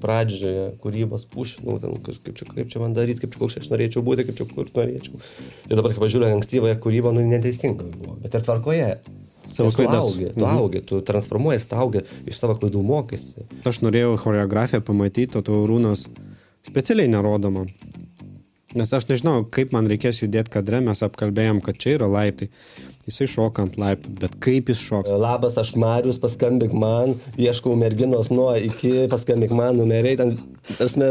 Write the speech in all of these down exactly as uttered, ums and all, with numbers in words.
pradžioje kūrybos pušinau, ten, kaip, čia, kaip čia man daryti, kaip čia koks aš norėčiau būti, kaip čia kur norėčiau. Ir dabar, kai pažiūrėjau, ankstyvąją kūrybą, nu, neteisinga buvo, bet ir tvarkoje. Savo tu augi, tu mhm. augi, tu transformuojies, tu augi, iš savo klaidų mokaisi. Aš norėjau choreografiją pamatyti, o tu Rūnas specialiai nerodoma. Nes aš nežinau, kaip man reikės judėti kadre, mes apkalbėjom, kad čia yra laiptai. Jisai šoka ant laiptų, bet kaip jis šoks? Labas, aš Marius, paskambink man, ieškau merginos nuo iki, paskambink man numeriai, ten, tarsime,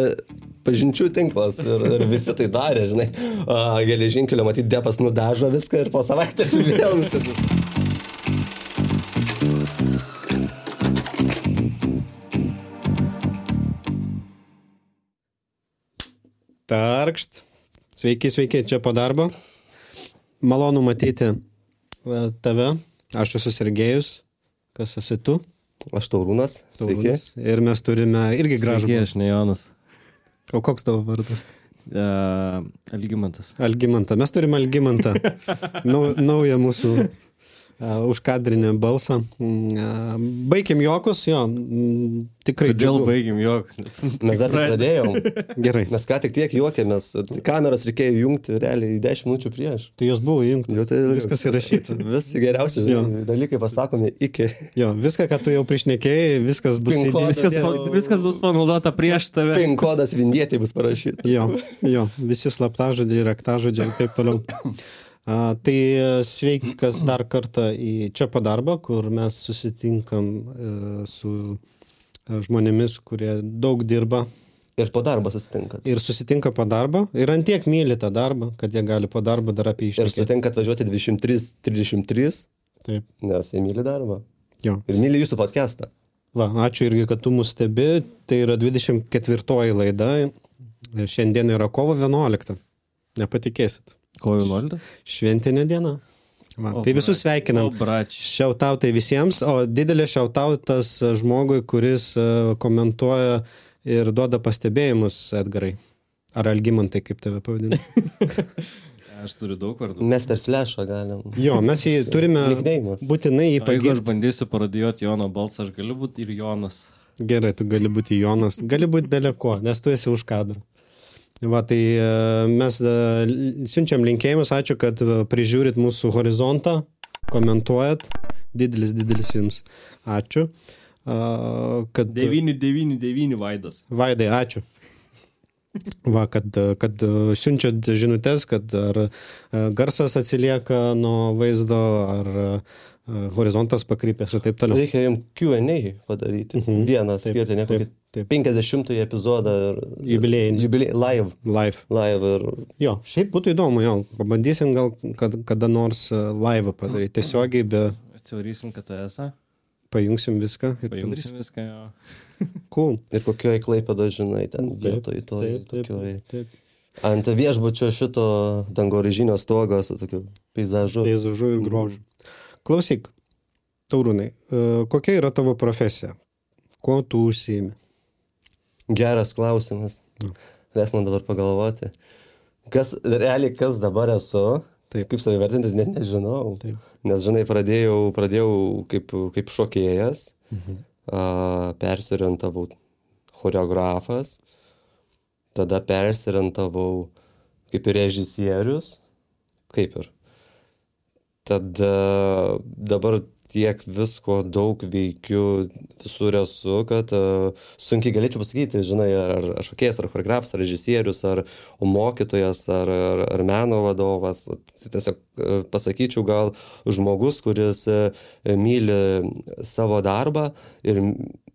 pažinčių tinklas ir, ir visi tai darė, žinai. A, geležinkelio, matyt, depas nudažo viską ir po savaitės vėl viskas. Tarkšt. Sveiki, sveiki, čia po darbo. Malonu matyti tave. Aš esu Sergejus. Kas esi tu? Aš Taurūnas. Sveiki. Ir mes turime irgi gražų. Sveiki, aš ne Jonas. O koks tavo vardas? Uh, Algimantas. Algimantą. Mes turime Algimantą. Nau, naują mūsų uh, užkadrinę balsą. Uh, baikim jokus, jo. Mm, tikrai Kodėl džiugu. baikim jokus? Mes dar tik pradėjom. Gerai. Mes ką tik tiek juokėmės. Kameras reikėjo jungti realiai dešimt minučių prieš. Tai jos buvo įjungti. Jo, tai viskas įrašyta. Visi geriausi žinai, dalykai pasakomi iki. Jo, viską, ką tu jau priešnekėjai, viskas bus Pin-kodas Viskas, jau- pa, viskas bus panaudota prieš tave. Pin kodas vindietė bus parašytas. Jo, jo, visi slaptažodžiai, raktažodžiai ir taip toliau. A, tai sveikas dar kartą į čia po darbą, kur mes susitinkam e, su e, žmonėmis, kurie daug dirba Ir po darbą susitinkat. ir susitinka po darbą ir antiek myli tą darbą, kad jie gali po darbą dar apie Ir išnekėti. sutinkat važiuoti dvidešimt trys trisdešimt trys, Taip, nes jie myli darbą. jo. Ir myli jūsų podcastą. Va, ačiū irgi, kad tu mus stebi. Tai yra dvidešimt ketvirtoji laida. Šiandien yra kovo vienuolikta. Nepatikėsit. Ko vienuoliktas? Šventinė diena. Va, O, tai visus brač. sveikinam. O, brač. Šiautautai visiems, o didelė šiautautas žmogui, kuris e, komentuoja ir duoda pastebėjimus, Edgarai. Ar Algimantai, kaip tave pavadinti? Aš turiu daug vardų. Mes per slešą galim. Jo, mes jį turime Nickname'as. būtinai jį O jeigu aš pagirti. bandysiu parodijuoti Jono balsą, aš galiu būti ir Jonas. Gerai, tu gali būti Jonas, gali būti beleko, nes tu esi už kadrą. Va, tai e, mes e, siunčiam linkėjimus, ačiū, kad e, prižiūrit mūsų horizontą, komentuojat, didelis, didelis jums. Ačiū. A, kad... devyni devyni devyni Vaidas. Vaidai, ačiū. Va, kad, kad siunčiat žinutės, kad ar garsas atsilieka nuo vaizdo, ar horizontas pakrypęs ir taip toliau. Reikia jums Q and A padaryti. Mhm. Vieną Taip, skirti, ne taip, kokį taip. penkiasdešimtąjį epizodą. ir- Jubiliejinį. Jubiliej, live. Live. Live ir... Jo, šiaip būtų įdomu, jo, pabandysim gal kad, kada nors live padaryti. Tiesiogiai be Atsivarysim K T S-ą, pajungsim viską ir pajungsim padarysim. viską. Jo. Cool. Ir kokioj Klaipėdo, žinai, ten Taip, vietoj to. taip, taip, Tokioj. taip. Ant viešbučio šito dangoraižinio stogo su tokiu peizažu. Peizažu ir grožiu. Klausyk, Taurūnai, e, kokia yra tavo profesija? Kuo tu užsiimi? Geras klausimas. Leis man dabar pagalvoti. Kas, realiai, kas dabar esu, Taip. kaip save vertinti, net nežinau. Taip. Nes, žinai, pradėjau, pradėjau kaip, kaip šokėjas, Mhm. a, persirientavau choreografas, tada persirientavau kaip ir režisierius, kaip ir. Tada dabar tiek visko daug veikiu, visur esu, kad uh, sunkiai galėčiau pasakyti, žinai, ar, ar šokėjas, ar choreografas, ar režisierius, ar mokytojas, ar, ar, ar meno vadovas. Tiesiog uh, pasakyčiau gal žmogus, kuris uh, myli savo darbą ir,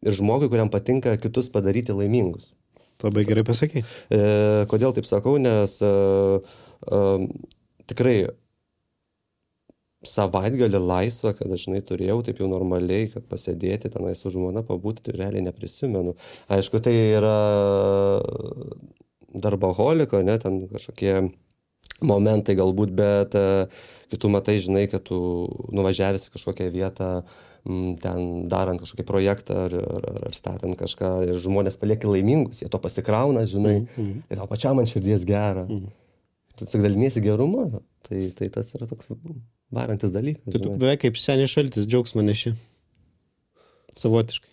ir žmogui, kuriam patinka kitus padaryti laimingus. Labai gerai pasakai. E, kodėl taip sakau, nes e, e, tikrai savaitgalį laisvą, kad aš, žinai, turėjau taip jau normaliai, kad pasėdėti tenai su žmona pabūti, tai realiai neprisimenu. Aišku, tai yra darboholiko, ne, ten kažkokie momentai galbūt, bet e, kai tu matai, žinai, kad tu nuvažiavęs į kažkokią vietą, m, ten darant kažkokį projektą ar, ar, ar statant kažką ir žmonės palieka laimingus, jie to pasikrauna, žinai, Mhm. ir tau pačiam ant širdies gera. Mhm. Tu tik daliniesi gerumu, tai, tai tas yra toks varantis dalykas. Tai tu žinai. beveik kaip senis šaltis džiaugsmą neši. Savotiškai.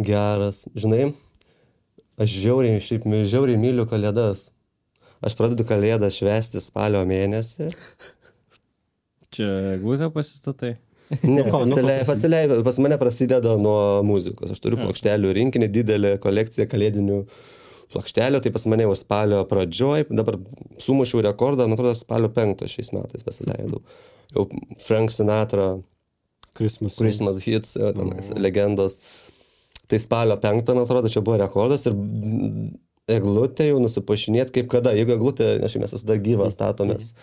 Geras. Žinai, Aš žiauriai, šiaip žiauriai myliu kalėdas. Aš pradedu kalėdą švęsti spalio mėnesį. Čia eglutę pasistatai? Ne, faciliai, faciliai, pas mane prasideda nuo muzikos. Aš turiu plokštelių rinkinį, didelę kolekciją kalėdinių plokštelių, tai pas mane jau spalio pradžioj, dabar sumušiau rekordą, man atrodo, spalio penktą šiais metais pasileidau. Jau Frank Sinatra, Christmas, Christmas hits, tenais, legendos. Tai spalio penktą, man atrodo, čia buvo rekordas ir eglutę jau nusipašinėt kaip kada. Jeigu eglutė, aš mes visada gyvą statomės,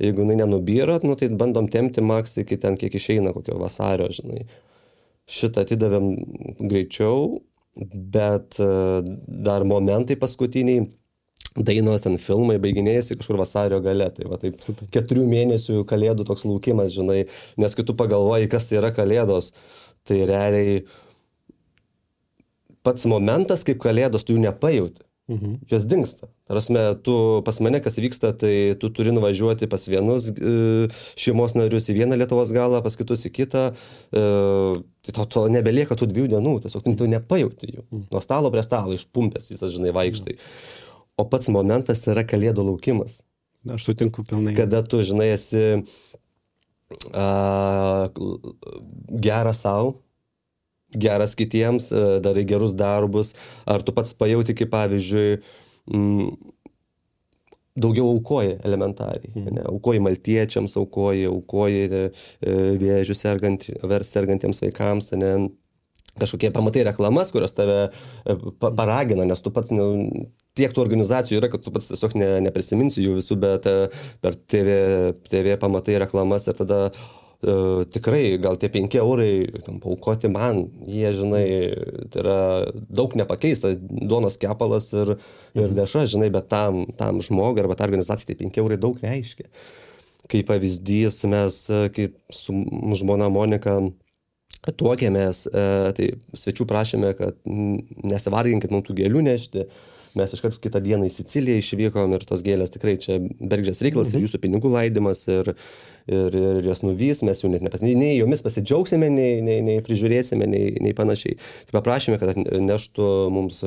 jeigu jinai nenubyrot, nu, tai bandom tempti maks iki ten, kiek išeina, kokio vasario, žinai. Šitą atidavėm greičiau, bet dar momentai paskutiniai, dainos ten filmai baiginėjasi kažkur vasario gale. Tai va taip keturių mėnesių kalėdų toks laukimas, žinai, nes kai tu pagalvoji, kas tai yra kalėdos, tai realiai pats momentas kaip kalėdos, tu jų nepajauti. Mhm. Jos dingsta. Tarasme, tu pas mane, kas vyksta, tai tu turi nuvažiuoti pas vienus e, šeimos narius į vieną Lietuvos galą, pas kitus į kitą. E, tai to, to nebelieka tų dviejų dienų, tiesiog tu nepajauti jų. Mhm. Nuo stalo prie stalo išpumpęs, visas, žinai, vaikštai. O pats momentas yra kalėdų laukimas. Aš sutinku pilnai. Kada tu, žinai, esi a, geras savo, geras kitiems, darai gerus darbus, ar tu pats pajauti, kaip pavyzdžiui, m, daugiau aukoji elementariai. Mm. Ne? Aukoji maltiečiams, aukoji, aukoji e, vėžių sergant, sergantiems vaikams, ne? Kažkokie pamatai reklamas, kurios tave pa, paragina, nes tu pats, ne, tiek tų organizacijų yra, kad tu pats tiesiog ne, neprisiminsi jų visų, bet per T V, T V pamatai reklamas ir tada Uh, tikrai gal tie penki eurai tam paukoti man, jie, žinai, tai yra daug nepakeista, duonos kepalas ir, ir dešra, žinai, bet tam, tam žmogui arba tą organizaciją tai penki eurai daug reiškia. Kaip pavyzdys, mes kaip su žmona Monika tuokėmės, tai svečių prašėme, kad nesivarginkit mums tų gėlių nešti. Mes iškart kitą dieną į Siciliją išvykom ir tos gėlės tikrai čia bergždžias reikalas, mhm. ir jūsų pinigų laidymas ir, ir, ir jas nuvys, mes jų net nepas, nei, nei jomis pasidžiaugsime, nei, nei, nei prižiūrėsime, nei, nei panašiai. Tai paprašėme, kad neštų mums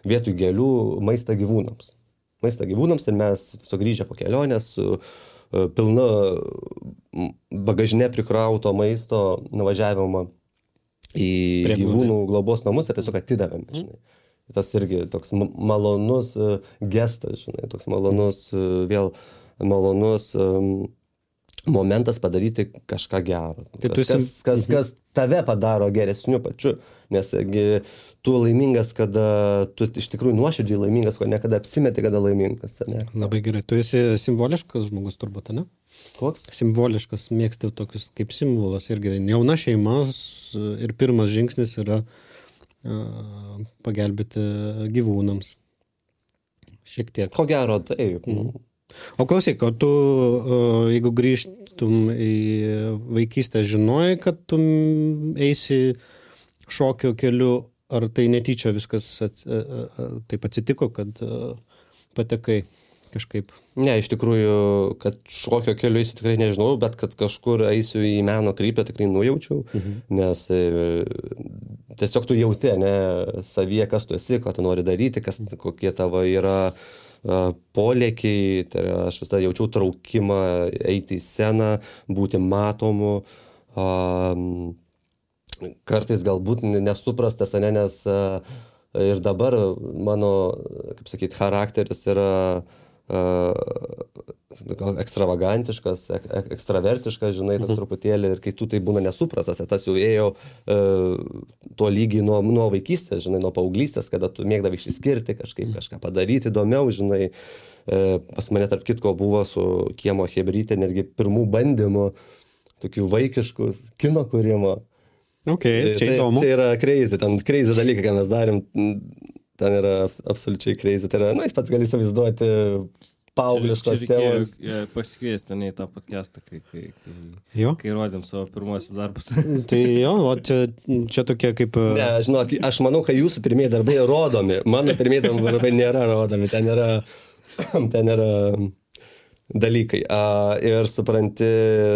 vietoj gėlių maistą gyvūnams. Maistą gyvūnams ir mes sugrįžę po kelionės su uh, pilna bagažinė prikrauto maisto nuvažiavimą į Prie gyvūnų globos namus ir tiesiog atidavėme, žinai. Mhm. Tas irgi toks malonus gestas, žinai, toks malonus, vėl malonus um, momentas padaryti kažką gero. Kas, kas, kas, kas, kas tave padaro geresniu pačiu, nes tu laimingas, kada tu iš tikrųjų nuoširdžiai laimingas, ko nekada apsimeti, kada laimingas. Ne? Labai gerai. Tu esi simboliškas žmogus turbūt, ne? Koks? Simboliškas, mėgsti tokius kaip simbolas irgi. Jauna šeima ir pirmas žingsnis yra pagelbėti gyvūnams. Šiek tiek. Ko gero, taip. Mm. O klausyk, o tu, jeigu grįžtum į vaikystę, žinojai, kad tu eisi šokio keliu, ar tai netyčia viskas ats, taip atsitiko, kad patekai kažkaip? Ne, iš tikrųjų, kad šokio keliu eisiu tikrai nežinau, bet kad kažkur eisiu į meno kryptį tikrai nujaučiau, mhm. nes e, tiesiog tu jauti, ne, savyje, kas tu esi, ką tu nori daryti, kas, kokie tavo yra a, polėkiai, tai aš visada jaučiau traukimą eiti į sceną, būti matomu, a, kartais galbūt nesuprastas, ne, nes a, ir dabar mano, kaip sakyti, charakteris yra gal ekstravagantiškas, ek, ekstravertiškas, žinai, mhm. truputėlį, ir kai tu tai būna nesuprastas, tas jau ėjo e, tuo lygiai nuo, nuo vaikystės, žinai, nuo paauglystės, kada tu mėgdavai išsiskirti, kažkaip kažką padaryti įdomiau, žinai, e, pas mane tarp kitko buvo su kiemo chebrytė netgi pirmų bandymų, tokių vaikiškų kino kūrimo. Ok, čia įdomu. Tai, tai yra crazy, ten crazy dalykai, ką mes darėm. Ten yra absoliučiai crazy. Tai yra, na, aš pats gali įsivaizduoti paaugliškos tėvus. Pasikviesti ne į tą podcastą, kai, kai, kai, kai rodėm savo pirmuosius darbus. Tai jo, o čia, čia tokie kaip... Ne, žinok, aš manau, kad jūsų pirmieji darbai rodomi. Mano pirmieji darbai nėra rodomi. Ten yra, ten yra dalykai. A, ir supranti,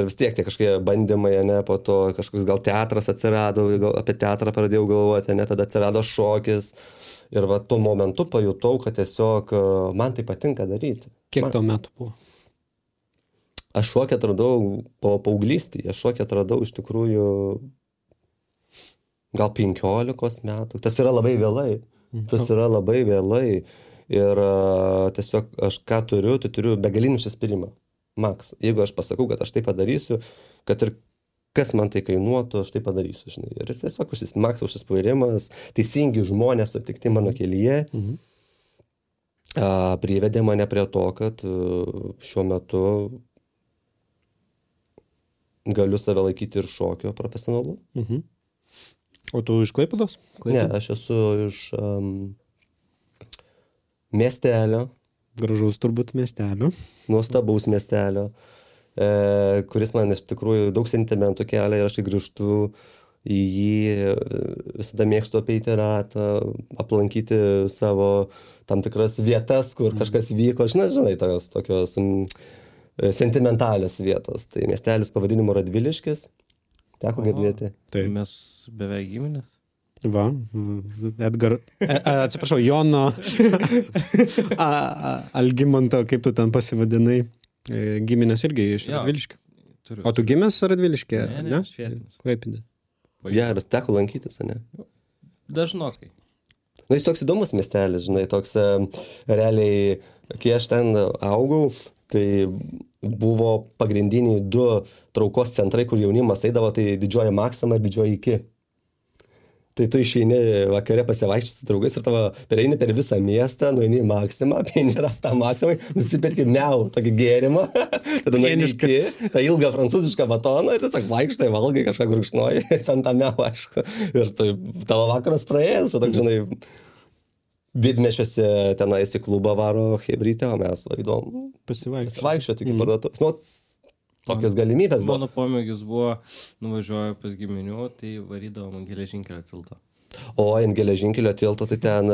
vis tiek tie kažkokie bandymai, ne, po to kažkoks gal teatras atsirado, gal apie teatrą pradėjau galvoti, ne, tada atsirado šokis. Ir va tuo momentu pajutau, kad tiesiog man tai patinka daryti. Kiek man... tau metų buvo? Aš šokį atradau po paauglystėje, aš šokį atradau iš tikrųjų gal penkiolikos metų. Tas yra labai vėlai. Tas yra labai vėlai. Ir uh, tiesiog aš ką turiu, tai turiu begalinį užsispyrimą. Maks, jeigu aš pasakau, kad aš tai padarysiu, kad ir kas man tai kainuotų, aš tai padarysiu, žinai. Ir tiesiog užsis, maks užsispyrimas, teisingi žmonės sutikti mano kelyje, mhm. uh, privedė mane prie to, kad uh, šiuo metu galiu save laikyti ir šokio profesionalu. Mhm. O tu iš Klaipėdos? Ne, aš esu iš um, miestelio. Gražaus turbūt miestelio. Nuostabaus miestelio, e, kuris man iš tikrųjų daug sentimentų kelia ir aš grįžtu į jį, visada mėgstu apeiti ratą, aplankyti savo tam tikras vietas, kur mm. kažkas vyko, aš nežinai, tokios, tokios mm, sentimentalios vietos. Tai miestelis pavadinimu Radviliškis. Teko girdėti. Tai mes beveik giminės. Va, Edgar, e, atsiprašau, Jono a, a, Algimanto, kaip tu ten pasivadinai, e, giminės irgi iš Radviliškio. O tu gimęs Radviliškė? Ne, ne, ne? Švietinis. Klaipėdė. Geras, teko lankytis, ne? Dažnokai. Na, jis toks įdomus miestelis, žinai, toks realiai, kai aš ten augau, tai buvo pagrindiniai du traukos centrai, kur jaunimas eidavo, tai Didžioji Maksima ir Didžioji Iki. Tai tu išeini vakare pasivaikščioti su draugais ir tavo pereini per visą miestą, nueini į Maksimą, apeini ratą Maksimai, nusipirki miau, tokį gėrimą, tada nueini iki, tą ilgą prancūzišką batoną ir tiesiog vaikštai, valgai, kažką gurkšnoji, ten tą miau, aišku. Ir tai tavo vakaras praėjęs, o tak, žinai, didmešiuose tenais į klubą varo hebrytę, o mes vaidom pasivaikščioti iki parduotuvės. Nu, tokios galimybės buvo. Mano pomėgis buvo, nuvažiuoju pas giminių, tai varydavom ant geležinkelio tilto. O, ant geležinkelio tilto, tai ten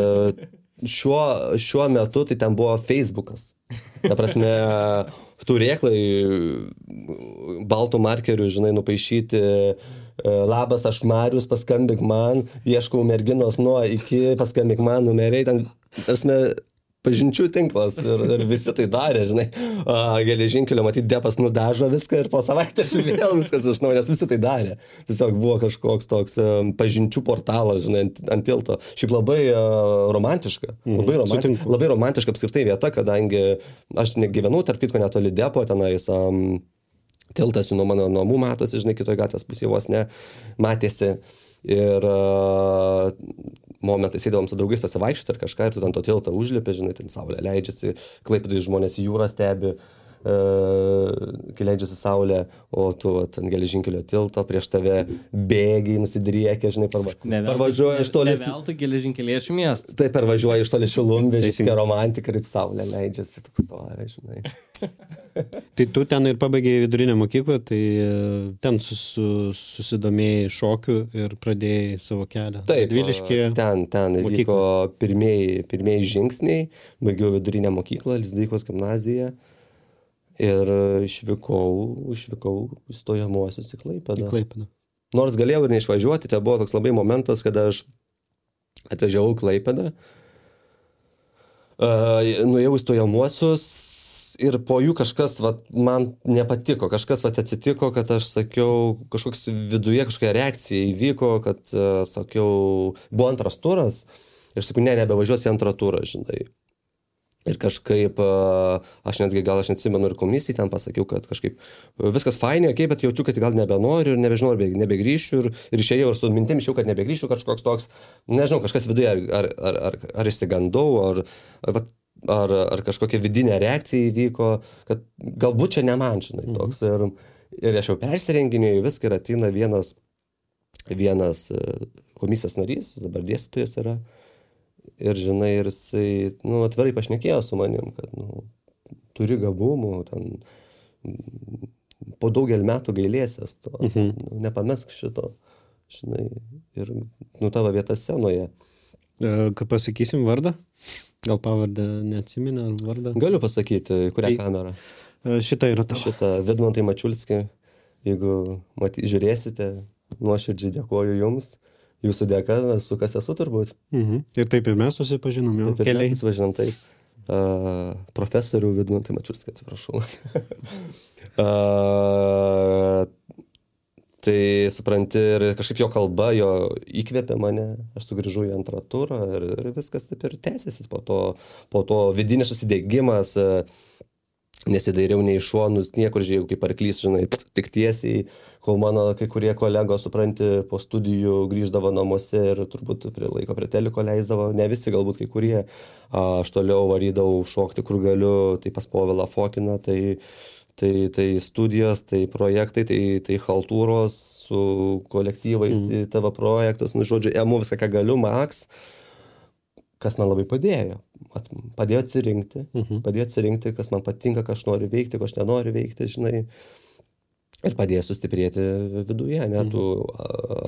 šiuo, šiuo metu, tai ten buvo Facebookas. Ta prasme, turėklai baltų markerių, žinai, nupaišyti, labas, aš Marius, paskambink man, ieškau merginos nuo iki, paskambink man numeriai, ten, tarsi, pažinčių tinklas ir, ir visi tai darė, žinai, a, geležinkelio, matyt, depas nudažo viską ir po savaitės vėl viskas iš naujo, nes visi tai darė. Tiesiog buvo kažkoks toks um, pažinčių portalas, žinai, ant, ant tilto. Šiaip labai uh, romantiška, labai, romanti, labai romantiška apskritai vieta, kadangi aš negyvenau, tarp kitko, netoli depo, tenais um, tiltas nuo mano namų matosi, žinai, kitoje gatvės pusėje vos ne, matėsi. Ir uh, momentais eidavome su draugais pasivaikščioti ar kažką, ir tu ten to tiltą užlipi, žinai, ten saulė leidžiasi, Klaipėdoje žmonės į jūrą stebi, uh, kai leidžiasi saulė, o tu ant geležinkelio tilto prieš tave bėgiai, nusidriekia, žinai, parva, parvažiuoja iš toli. Ne veltui geležinkeliečių miestą. Tai parvažiuoja iš toli Šilumvežis, tokia romantika, kaip saulė leidžiasi, toks stovi, žinai. Tai tu ten ir pabaigėjai vidurinę mokyklą, tai ten susu, susidomėjai šokiu ir pradėjai savo kelią. Taip, Radviliškyje. ten, ten vyko pirmieji, pirmieji žingsniai, baigiau vidurinę mokyklą, Lizdeikos gimnaziją ir išvykau, išvykau stojamuosius į Klaipėdą. Į Klaipėdą. Nors galėjau ir neišvažiuoti, tai buvo toks labai momentas, kada aš atvažiavau į Klaipėdą, uh, nuėjau į stojamuosius, ir po jų kažkas vat, man nepatiko, kažkas vat, atsitiko, kad aš sakiau, kažkoks viduje kažkokia reakcija įvyko, kad uh, sakiau, buvo antras turas ir sakiau, ne, nebevažiuosi antrą turą, žinai. Ir kažkaip, uh, aš netgi gal aš neatsimenu ir komisijai ten pasakiau, kad kažkaip viskas fainai, okay, bet jaučiu, kad gal nebenoriu ir nebežinau, ar nebegrįšiu ir, ir išėjau ir su mintim išėjau, kad nebegrįšiu, kažkoks toks, nežinau, kažkas viduje, ar, ar, ar, ar, ar išsigandau, ar, vat, Ar, ar kažkokia vidinė reakcija įvyko, kad galbūt čia ne man, žinai, toks. Ir, ir aš jau persirenginėjau viską ir ateina vienas, vienas komisijos narys, dabar dėstytojas yra. Ir, žinai, ir jisai, nu, atvirai pašnekėjo su manim, kad, nu, turi gabumų, ten, po daugelį metų gailėsies to, mhm. nu, nepamesk šito, žinai, ir, nu, tavo vieta scenoje. Ką pasakysim vardą? Gal pavardę neatsiminę ar vardą? Galiu pasakyti, kurią tai, kamerą. Šitą yra tavo. Šitą Vidmantai Mačiulskį, jeigu maty, žiūrėsite, nuoširdžiai dėkoju jums. Jūsų dėka, su kas esu turbūt. Mhm. Ir taip ir mes susipažinom jau. Taip ir mes susipažinom, taip. Uh, profesorių Vidmantai Mačiulskį, atsiprašau. uh, tai supranti, ir kažkaip jo kalba, jo įkvėpė mane, aš sugrįžau į antrą turą ir, ir viskas taip ir tęsiasi. Po to, po to vidinis susidėgymas, uh, nesidairiau nei šonus, niekur žiūrėjau kaip arklys, žinai, tik tiesiai, kol mano kai kurie kolegos, supranti, po studijų grįždavo namuose ir turbūt prie laiko prie teliko leisdavo, ne visi, galbūt kai kurie, aš toliau varydavau šokti, kur galiu, tai pas Povilą Fokiną, tai, tai, tai studijos, tai projektai, tai, tai haltūros su kolektyvais, mm. tavo projektus, nu, žodžiu, emu viską, ką galiu, maks, kas man labai padėjo. Padėjo atsirinkti, uh-huh. padėjo atsirinkti, kas man patinka, ką aš noriu veikti, ko aš nenoriu veikti, žinai, ir padėjo sustiprėti viduje, ne, tu,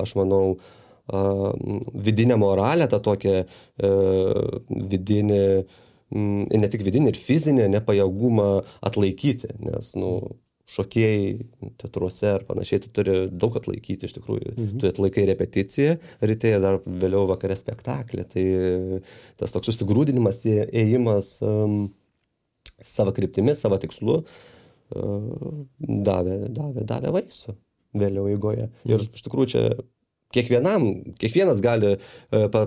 aš manau, vidinę moralę, tą tokią vidinį, ne tik vidinį, ir fizinį nepajėgumą atlaikyti, nes, nu, šokėjai teatruose ar panašiai, tu turi daug atlaikyti iš tikrųjų. Mhm. Tu atlaikai repeticiją ryte ir dar vėliau vakare spektaklį. Tai tas toks susigrūdinimas, ėjimas um, savo kryptimi, savo tikslu uh, davė, davė, davė vaisių vėliau eigoje. Mhm. Ir iš tikrųjų čia kiekvienam, kiekvienas gali uh, pa,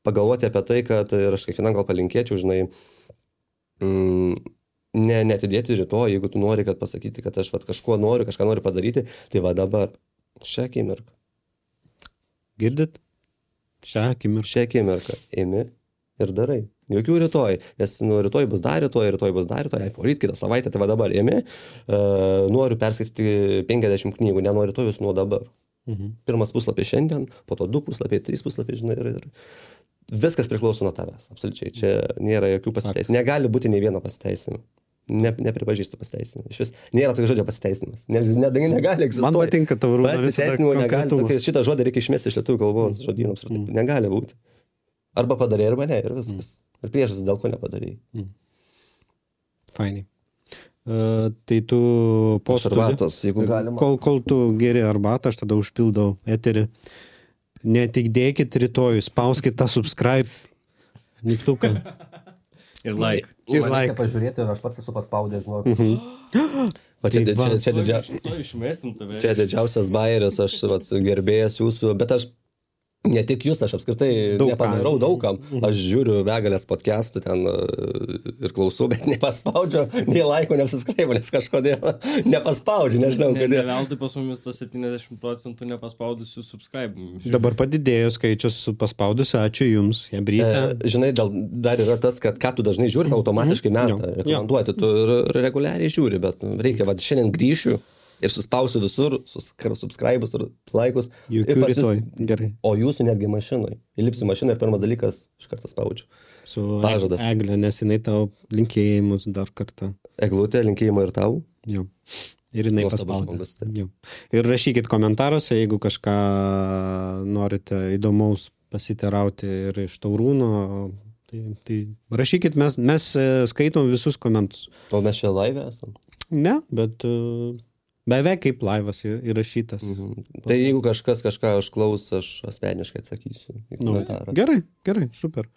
pagalvoti apie tai, kad ir aš kiekvienam gal palinkėčiau, žinai, mm, Ne, netidėti rytoj, jeigu tu nori, kad pasakyti, kad aš vat, kažko noriu, kažką noriu padaryti, tai va dabar, šią akimirką. Girdit? Šią akimirką. Šią akimirką imi ir darai. Jokių rytoj, nes nu, rytoj bus dar rytoj, rytoj bus dar rytoj, poryt kitą savaitę, tai va dabar imi, uh, noriu perskaityti penkiasdešimt knygų, nenoriu rytoj, jūs nuo dabar. Mhm. Pirmas puslapis šiandien, po to du puslapiai, trys puslapiai, žinai, ir... ir viskas priklauso nuo tavęs, absoliučiai. Čia nėra jokių pasiteisinimų. Negali būti nei vieno pasiteisinimo. Ne, nepripažįstu pasiteisinimų. Iš vis nėra tokio žodžio pasiteisinimas. Ne, ne, negali egzistuoti. Man patinka tavo rūda. Pasiteisinimo negali. Tokį, šitą žodį reikia išmesti iš lietuvių kalbos žodynams. Mm. Negali būti. Arba padarė, arba ne. Ir viskas. Mm. Ir priežastis, dėl ko nepadarė. Mm. Fainai. Uh, tai tu po arbatos, jeigu galima. Kol, kol tu geri arbatą, aš tada užpildau eterį. Ne tik dėkit rytoj, spauskit tą subscribe mygtuką. Ir like. Ir like. Pažiūrėti, aš pats esu paspaudęs. Mhm. O čia, čia, čia, didžia... čia didžiausias bairis, aš vat, gerbėjas jūsų, bet aš ne tik jūs, aš apskritai daug nepadarau daugam. Aš žiūriu begalės podcastų ten ir klausau, bet nepaspaudžiu, nei laiko nepasiskraibu, nes kažkodėl nepaspaudžiu, nežinau kodėl. Ne, ne veltui pas mumis tas septyniasdešimt procentų nepaspaudusių subscribe. Dabar padidėjo skaičius paspaudusių, ačiū jums, Jebrytė. E, žinai, dal, dar yra tas, kad ką tu dažnai žiūri, automatiškai meta mm-hmm. rekomenduoti, tu reguliariai žiūri, bet reikia, va, šiandien grįšiu. Ir suspausiu visur, subscribus ir laikus. Jokių rytoj, gerai. O jūsų netgi mašinai. Įlipsiu mašiną ir pirmas dalykas iš karto spaudžiu. Su Pažadas. Eglė, nes jinai tau linkėjimus dar kartą. Eglutė, linkėjimą ir tau. Jo. Ir jinai paspaudė. Jo. Ir rašykit komentaruose, jeigu kažką norite įdomaus pasiterauti ir iš Taurūno. Tai, tai rašykit, mes, mes skaitom visus komentus. O mes čia live esam? Ne, bet... Uh, beveik kaip laivas įrašytas. Mhm. Tai jeigu kažkas kažką užklaus, aš asmeniškai atsakysiu į komentarą. Nu, gerai, gerai, super.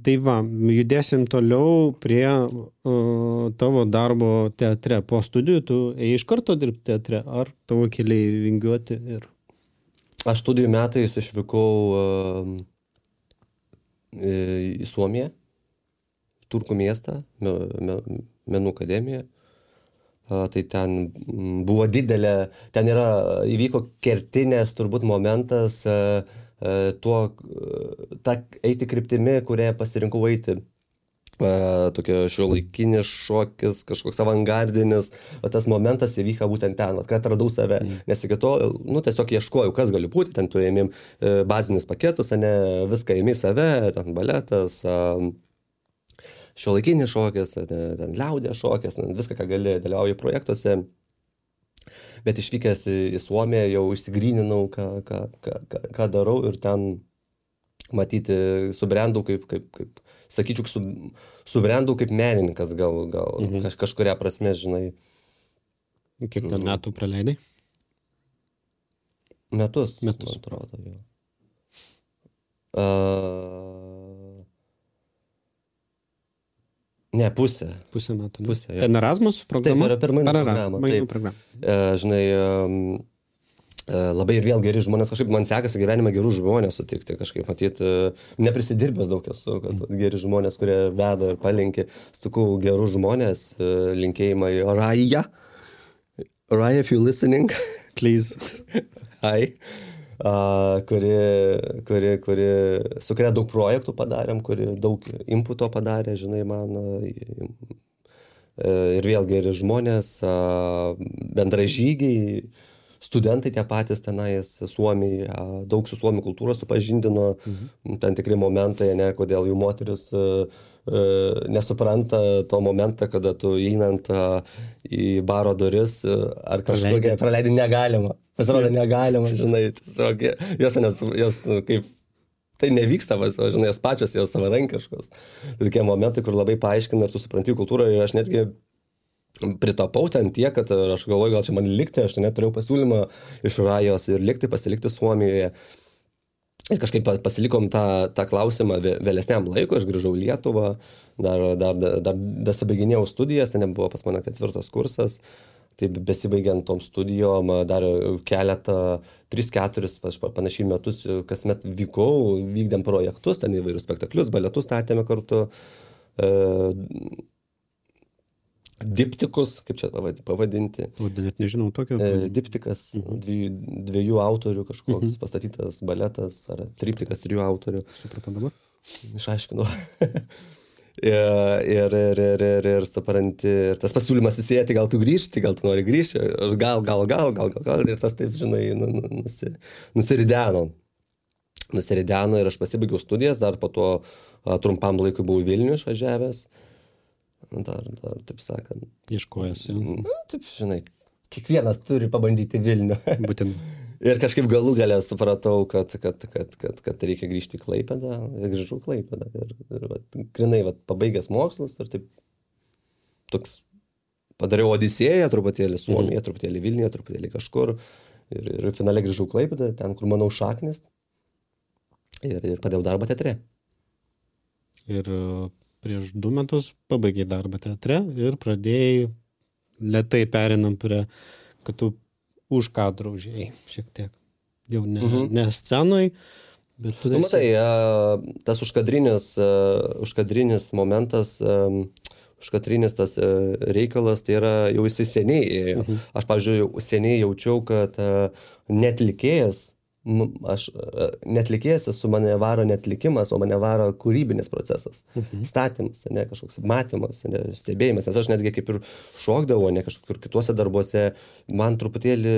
Tai va, judėsim toliau prie uh, tavo darbo teatre. Po studijų tu ėjai iš karto dirbti teatre, ar tavo keliai vingiuoti? Ir... Aš studijų metais išvykau uh, į Suomiją, Turkų miestą, me, me, Menų akademiją. Uh, tai ten buvo didelė, ten yra, įvyko kertinės turbūt momentas uh, uh, tuo, uh, ta eiti kryptimi, kurią pasirinkau eiti. Uh, tokio šiuolaikinis šokis, kažkoks avangardinis, o tas momentas įvyko būtent ten, kad atradau save, mm. nes iki to, nu, tiesiog ieškojau, kas gali būti, ten tu ėmėm uh, bazinius paketus, ne, viską ėmė save, ten baletas, uh, šiuolaikinis šokis, ten liaudės šokis, viską, ką gali, dalyvauju projektuose. Bet išvykęs į, į Suomiją jau išsigryninau, ką, ką, ką, ką darau ir ten matyti, subrendau kaip, kaip, kaip, sakyčiau, su, subrendau kaip menininkas gal, gal mhm. kaž, kažkuria prasme, žinai. Kiek ten metų praleidai? Metus, Metus. man atrodo, jau. Uh, ne, pusę. Pusę metų. Ne? Pusę, ten Erasmus programa? Taip, yra per mainų programą. Mainų programą. Uh, žinai, um, uh, labai ir vėl geri žmonės, kažkaip man sekasi gyvenime gerų žmonės sutikti, kažkaip matyti, uh, neprisidirbęs daug esu, kad mm. geri žmonės, kurie veda ir palinkė, stukau gerų žmonės, uh, linkėjimai Raja. Raja, if you listening, please. Hi. Uh, kuri, kuri, kuri, su kuria daug projektų padarėm, kuri daug inputo padarė, žinai, man. Uh, ir vėl geri žmonės, uh, bendražygiai, studentai tie patys tenais, Suomiai, uh, daug su Suomių kultūros supažindino, mhm. ten tikri momentai, ne, kodėl jų moteris uh, uh, nesupranta to momentą, kada tu einant uh, į baro duris uh, ar kažkokią praleidį negalima. Pasirodo, negalima, žinai, tiesiog jos, nes, jos kaip, tai nevyksta, vas, o, žinai, jos pačios, jos savarankiškos. Tai tokie momentai, kur labai paaiškina ir tu supranti kultūrą ir aš netgi pritapau ten tiek, kad aš galvoju, gal čia man likti, aš net turėjau pasiūlymą iš Rajos ir likti, pasilikti Suomijoje. Ir kažkaip pasilikom tą, tą klausimą vėlesniam laikui, aš grįžau į Lietuvą, dar, dar, dar, dar besibaiginėjau studijas, nebuvo pas mane ketvirtas kursas. Taip besibaigiant tom studijom, dar keletą, tris, keturis panašiai metus, kasmet vykau, vykdėm projektus, ten įvairius spektaklius, baletus statėme kartu, e, diptikus, kaip čia pavadinti. O, net nežinau tokio. E, diptikas, mhm. dviejų, dviejų autorių kažkoks mhm. pastatytas baletas, ar triptikas trijų autorių. Supratau dabar? Išaiškinau. Ir, ir, ir, ir, ir, ir supranti, ir tas pasiūlymas susijęti, gal tu grįžti, gal tu nori grįžti, gal, gal, gal, gal, gal, gal, ir tas taip, žinai, nusi, nusirideno. Nusirideno ir aš pasibaigiau studijas, dar po to a, trumpam laikui buvau Vilnių išvažiavęs, dar, dar, taip sakant. Ieškojęs, jau. Na, taip, žinai, kiekvienas turi pabandyti Vilnių. Būtent. Ir kažkaip galų galę supratau, kad, kad, kad, kad, kad reikia grįžti į Klaipėdą, ir grįžau į Klaipėdą. Ir, ir vat, grinai, vat, pabaigęs mokslus, ir taip toks padariau Odisėją, truputėlį Suomiją, mhm. truputėlį Vilniuje, truputėlį kažkur. Ir, ir finale grįžau į Klaipėdą, ten, kur manau šaknis. Ir, ir padėjau darbą teatre. Ir prieš du metus pabaigiai darbą teatre ir pradėjai, lėtai perinam prie, kad tu už kadro užėjai šiek tiek. Jau ne, mhm. ne scenoj, bet tu... Nu, matai, tas užkadrinis, užkadrinis momentas, užkadrinis tas reikalas, tai yra jau jisai seniai ėjo. Mhm. Aš, pavyzdžiui, seniai jaučiau, kad netlikėjas, aš netlikėjas, su mane varo netlikimas, o mane varo kūrybinis procesas. Mhm. Statymas, ne, kažkoks matymas, ne, stebėjimas. Nes aš netgi kaip ir šokdavau, ne kažkur kituose darbuose, man truputėlį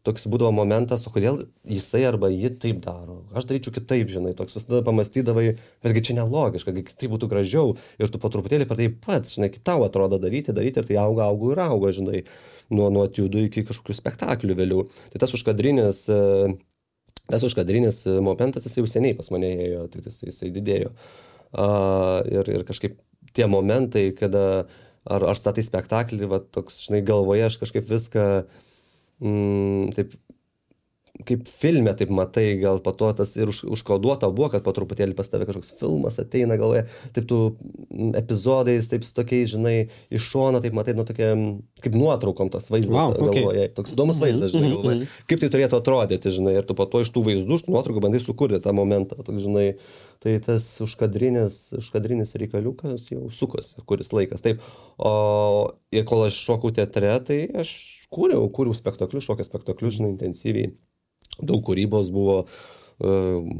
toks būdavo momentas, o kodėl jisai arba ji taip daro. Aš daryčiau kitaip, žinai, toks visada pamastydavai, betgi čia nelogiška, tai būtų gražiau ir tu po truputėlį per tai pats, žinai, kaip tau atrodo daryti, daryti ir tai auga, auga ir auga, žinai, nuo, nuo etiudų iki kažkokių spektaklių vėliau. Tai tas užkadrinis Tas užkadrinis momentas, jis jau seniai pas mane ėjo, tik jis, jisai didėjo. Uh, ir, ir kažkaip tie momentai, kada ar, ar statai spektaklį, va, toks, žinai, galvoje aš kažkaip viską mm, taip, kaip filme, taip matai, gal po to tas ir už, užkoduota buvo, kad po truputėlį pas tave kažkoks filmas ateina galvoje, taip tu epizodais, taip su tokiais, žinai, iš šono, taip matai, nu tokia, kaip nuotraukom tas vaizdas wow, okay. galvoje, toks įdomus vaizdas, žinai, galvoje, kaip tai turėtų atrodyti, žinai, ir tu po to iš tų vaizdų, iš tų nuotraukų bandai sukurti tą momentą, toks, žinai, tai tas užkadrinis, užkadrinis reikaliukas jau sukosi, kuris laikas, taip, o ir kol aš šokau teatre, tai aš kūriau, kūriau spektaklius, šokio spektaklius, žinai, intensyviai. Daug kūrybos buvo, uh,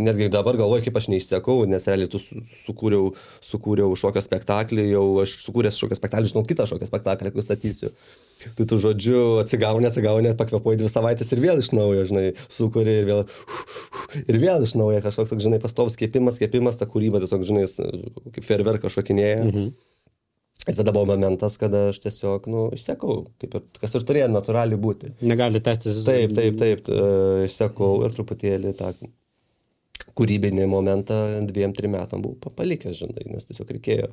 netgi dabar galvoju, kaip aš neišsekau, nes realiai tu sukūriau, sukūriau šokio spektaklį, jau aš sukūręs šokio spektaklį, žinau kitą šokio spektaklį, kurį statysiu. Tai tu, žodžiu, atsigauni, atsigauni, pakvepuoji dvi savaitės ir vėl iš naujo, žinai, sukūri ir vėl, ir vėl iš naujo kažkoks, žinai, pastovus kėpimas, kėpimas, ta kūryba tiesiog, žinai, kaip fejerverkas šokinėja. Mhm. Ir tada buvo momentas, kada aš tiesiog, nu, išsekau, kaip ir, kas ir turėjo natūraliai būti. Negali tęstis. Taip, taip, taip, uh, išsekau ir truputėlį tą, kūrybinį momentą dviem, trim metam buvau palikęs, žinai, nes tiesiog reikėjo.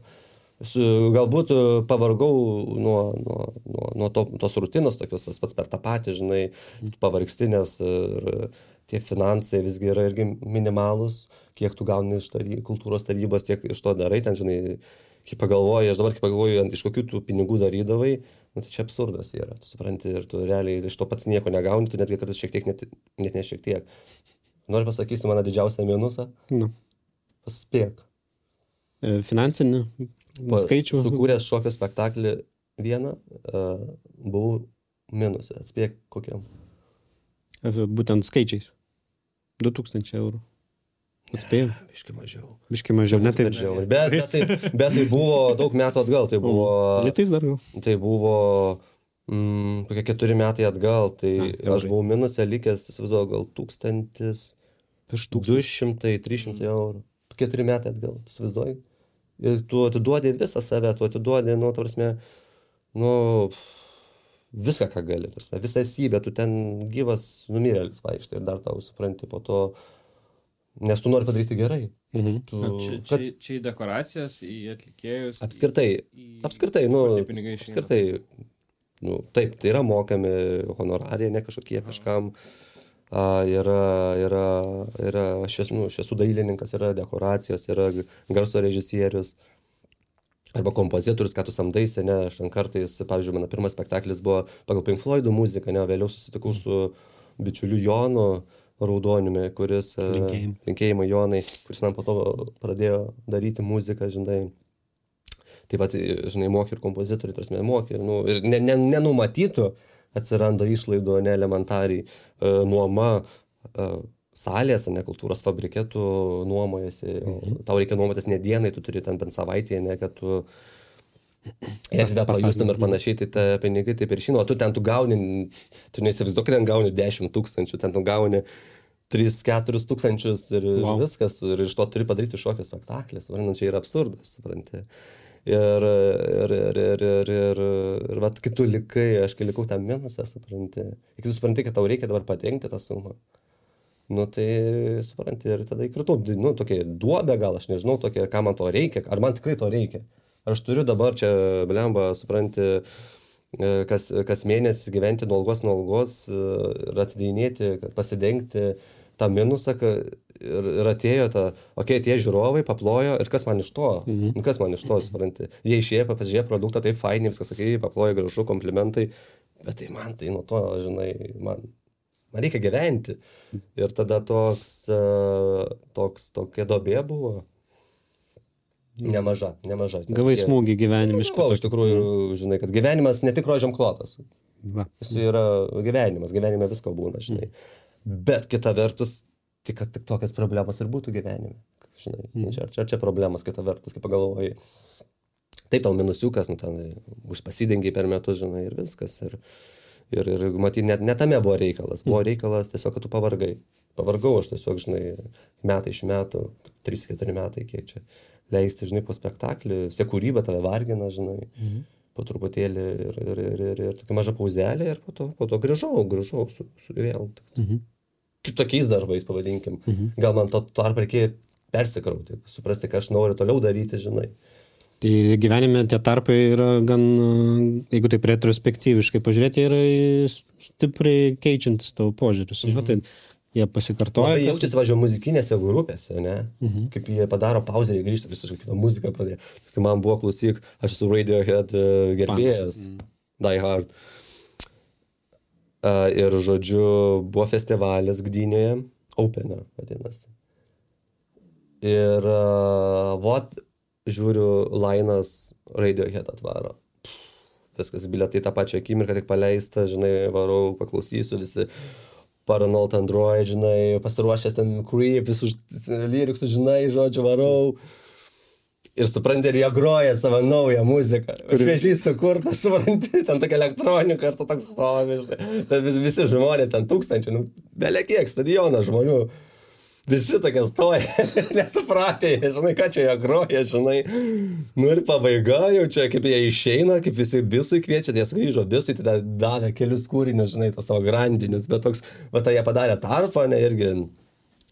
Su, galbūt pavargau nuo, nuo, nuo, nuo to, tos rutinos, tokios tas pats per tą patį, žinai, pavargsti, nes ir tie finansai visgi yra irgi minimalus, kiek tu gauni iš tary, kultūros tarybos, tiek iš to darai, ten, žinai, kai pagalvoji, aš dabar kai pagalvoju, iš kokių tų pinigų darydavai, nu, tai čia absurdas yra, tu supranti, ir tu realiai iš to pats nieko negauni, tu netgi kartais šiek tiek, net, net ne šiek tiek. Noriu pasakyti mano didžiausią minusą? Nu. Paspėk. E, finansinį skaičių. Sukūręs šokio spektaklį vieną, uh, buvau minusą. Atspėk kokiam. Būtent skaičiais. du tūkstančiai eurų. Atspėjau. Ne, biški mažiau. Biški mažiau, ne taip. Bet, bet, tai, bet tai buvo daug metų atgal. Tai buvo, Litais dar gal. Tai buvo mm, kokie keturi metai atgal. Tai Na, aš buvau minusę likęs, įsivaizduoju, gal tūkstantis, du šimtai, trys šimtai eurų. Keturi metai atgal, įsivaizduoju. Ir tu atiduodi visą save, tu atiduodi, nu, tarsi, nu, viską, ką gali, tarsi, visą esybę, tu ten gyvas numirėlis vaikštai ir dar tau supranti po to, nes tu nori padaryti gerai. Mhm. Tu, čia, čia, čia į dekoracijas, į atlikėjus. Apskritai, į, apskritai, nu, į apskritai, nu, taip, tai yra mokami honorarija, ne kažkokie kažkam. Uh, yra, yra, yra aš, esu, nu, aš esu dailininkas, yra dekoracijos, yra garso režisierius arba kompozitorius, ką tu samdaisi, ne, aš ten kartais, pavyzdžiui, mano pirmas spektaklis buvo pagal Pink Floydų muziką, ne, vėliau susitikau su bičiuliu Jonu Raudoniumi, kuris, Linkėjim. linkėjimai Jonai, kuris man po to pradėjo daryti muziką, žinai. Taip pat, žinai, mokė ir kompozitoriai, tarsi mokė, nu, ir ne, ne, nenumatytų, atsiranda išlaidų, ne elementariai, e, nuoma e, salės, ne kultūros fabriketų nuomojasi, mhm. tau reikia nuomotis ne dienai, tu turi ten bent savaitėje, ne, kad tu erdvę pajustum ir panašiai, tai ta pinigai taip ir žino, o tu ten tu gauni, tu neįsivaizduok, kad ten gauni dešimt tūkstančių, ten tu gauni tris keturis tūkstančius ir wow. viskas, ir iš to turi padaryti šokio spektaklį, suprantant, čia yra absurdas, supranti. Ir, ir, ir, ir, ir, ir, ir vat, kai tu likai, aš kai likau tą minusą, supranti, kai tu supranti, kad tau reikia dabar patenkti tą sumą, nu tai supranti, ir tada įkritau, nu, tokia duobė gal, aš nežinau, tokia, ką man to reikia, ar man tikrai to reikia. Aš turiu dabar čia, blemba, supranti, kas, kas mėnesį gyventi nuo algos, nuo algos ir atsidėjinėti, pasidengti tą minusą, ir, ir atėjo ta, okei, okay, tie žiūrovai paplojo, ir kas man iš to? Mhm. Nu, kas man iš to, supranti? Jie išėjo, pasižiūrėjo produktą, tai fainiai, viskas, okei, okay, paplojo gražu, komplimentai, bet tai man tai nuo to, žinai, man, man reikia gyventi. Ir tada toks, toks, tokia dobė buvo. Nemaža, nemaža. Gavai smūgį gyvenimiškai. Iš tikrųjų, žinai, kad gyvenimas ne tik rožiam klotas. Va. Jis yra gyvenimas, gyvenime visko būna, žinai. Bet kita vertus, tik kad tik tokias problemas ir būtų gyvenime. Žinai, mm. čia, čia, čia problemas, kita vertus, kaip pagalvoji. Taip, tau minusiukas, nu ten užpasidengiai per metus, žinai, ir viskas. Ir, ir, ir matyt, net, net tame buvo reikalas. Buvo reikalas tiesiog, kad tu pavargai. Pavargau aš tiesiog, žinai, metai iš metų, trys keturi metai, kiek čia leisti, žinai, po spektaklį. Vis tiek kūryba tave vargina, žinai. Mm. Po truputėlį ir, ir, ir, ir, ir tokia maža pauzelė ir po to, po to grįžau, grįžau su, su vėl. Mhm. Kitokiais darbais, pavadinkim. Mhm. Gal man to tarp reikėjo persikrauti, suprasti, ką aš noriu toliau daryti, žinai. Tai gyvenime tie tarpai yra gan, jeigu taip retrospektyviškai pažiūrėti, yra stipriai keičiantis tavo požiūris. Mhm. Tai jie pasikartoja. Labai jaučiasi, važiuoju, muzikinėse grupėse, ne? Mhm. Kaip jie padaro pauzę, jie grįžta visiškai kitą muziką pradėjo. Kai man buvo klausyk, aš esu Radiohead uh, gerbėjas, mm. Die Hard. Uh, ir, žodžiu, buvo festivalis Gdynėje, Opener vadinasi. Ir, uh, vot, žiūriu, Lainas Radiohead atvaro. Viskas, bilietai tą pačią akimirką tik paleista, žinai, varau, paklausysiu visi. Paranoid Android, žinai, pasiruošęs ten Creep, visus lyriksus, žinai, žodžiu, varau. Ir supranti, ir jie groja savo naują muziką. Šviežiai sukurtą, supranti, ten tokia elektronika, ir tu toks stovi, žinai. Ten visi žmonės, ten tūkstančiai, nu, belia kiek, stadionas žmonių. Visi tokie stoja, nesupratė, žinai, ką čia jie groja, žinai. Nu ir pabaiga jau čia, kaip jie išeina, kaip visi bisui kviečia, jie sugrįžo bisui, tai davė kelius kūrinius, žinai, tos savo grandinius, bet toks, va, tai jie padarė tarpą, ne, irgi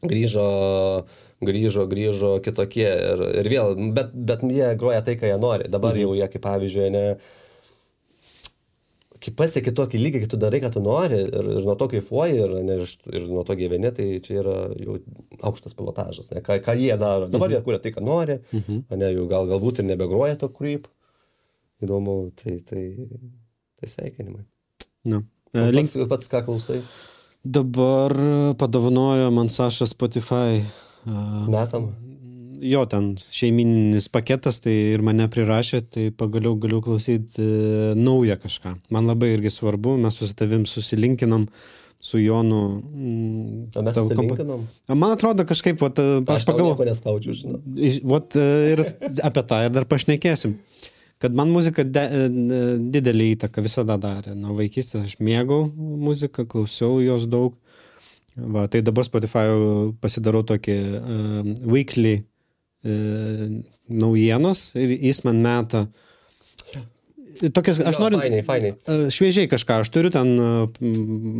grįžo, grįžo, grįžo kitokie ir, ir vėl, bet, bet jie groja tai, ką jie nori. Dabar mhm. jau jie, kaip pavyzdžiui, ne, kai pasieki tokį lygį, kai tu darai, ką tu nori ir, ir nuo to kaifuoji ir, ne, ir nuo to gyveni, tai čia yra jau aukštas pilotažas, ne, ką, ką jie daro. Dabar mhm. jie kuria tai, ką nori, mhm. ne, jau gal, galbūt ir nebegroja to creep. Įdomu, tai, tai, tai sveikinimai. No. O pats, pats ką klausai? Dabar padovanojo man Saša Spotify. Uh, Metam? Jo, ten šeimininis paketas, tai ir mane prirašė, tai pagaliau galiu klausyti e, naują kažką. Man labai irgi svarbu, mes su tavim susilinkinom su Jonu. Mm, o mes susilinkinom? Man atrodo kažkaip, vat, aš, aš pagalvoju. Aš tau nieko neskaučiu, žinau. Vat, ir apie tą ir dar pašnekėsim. Kad man muzika de, didelį įtaką visada darė. Nuo vaikystės aš mėgau muziką, klausiau jos daug. Va, tai dabar Spotify pasidarau tokį uh, weekly naujienos ir jis man meta tokias, aš jo, noriu fainai, fainai. Šviežiai kažką, aš turiu ten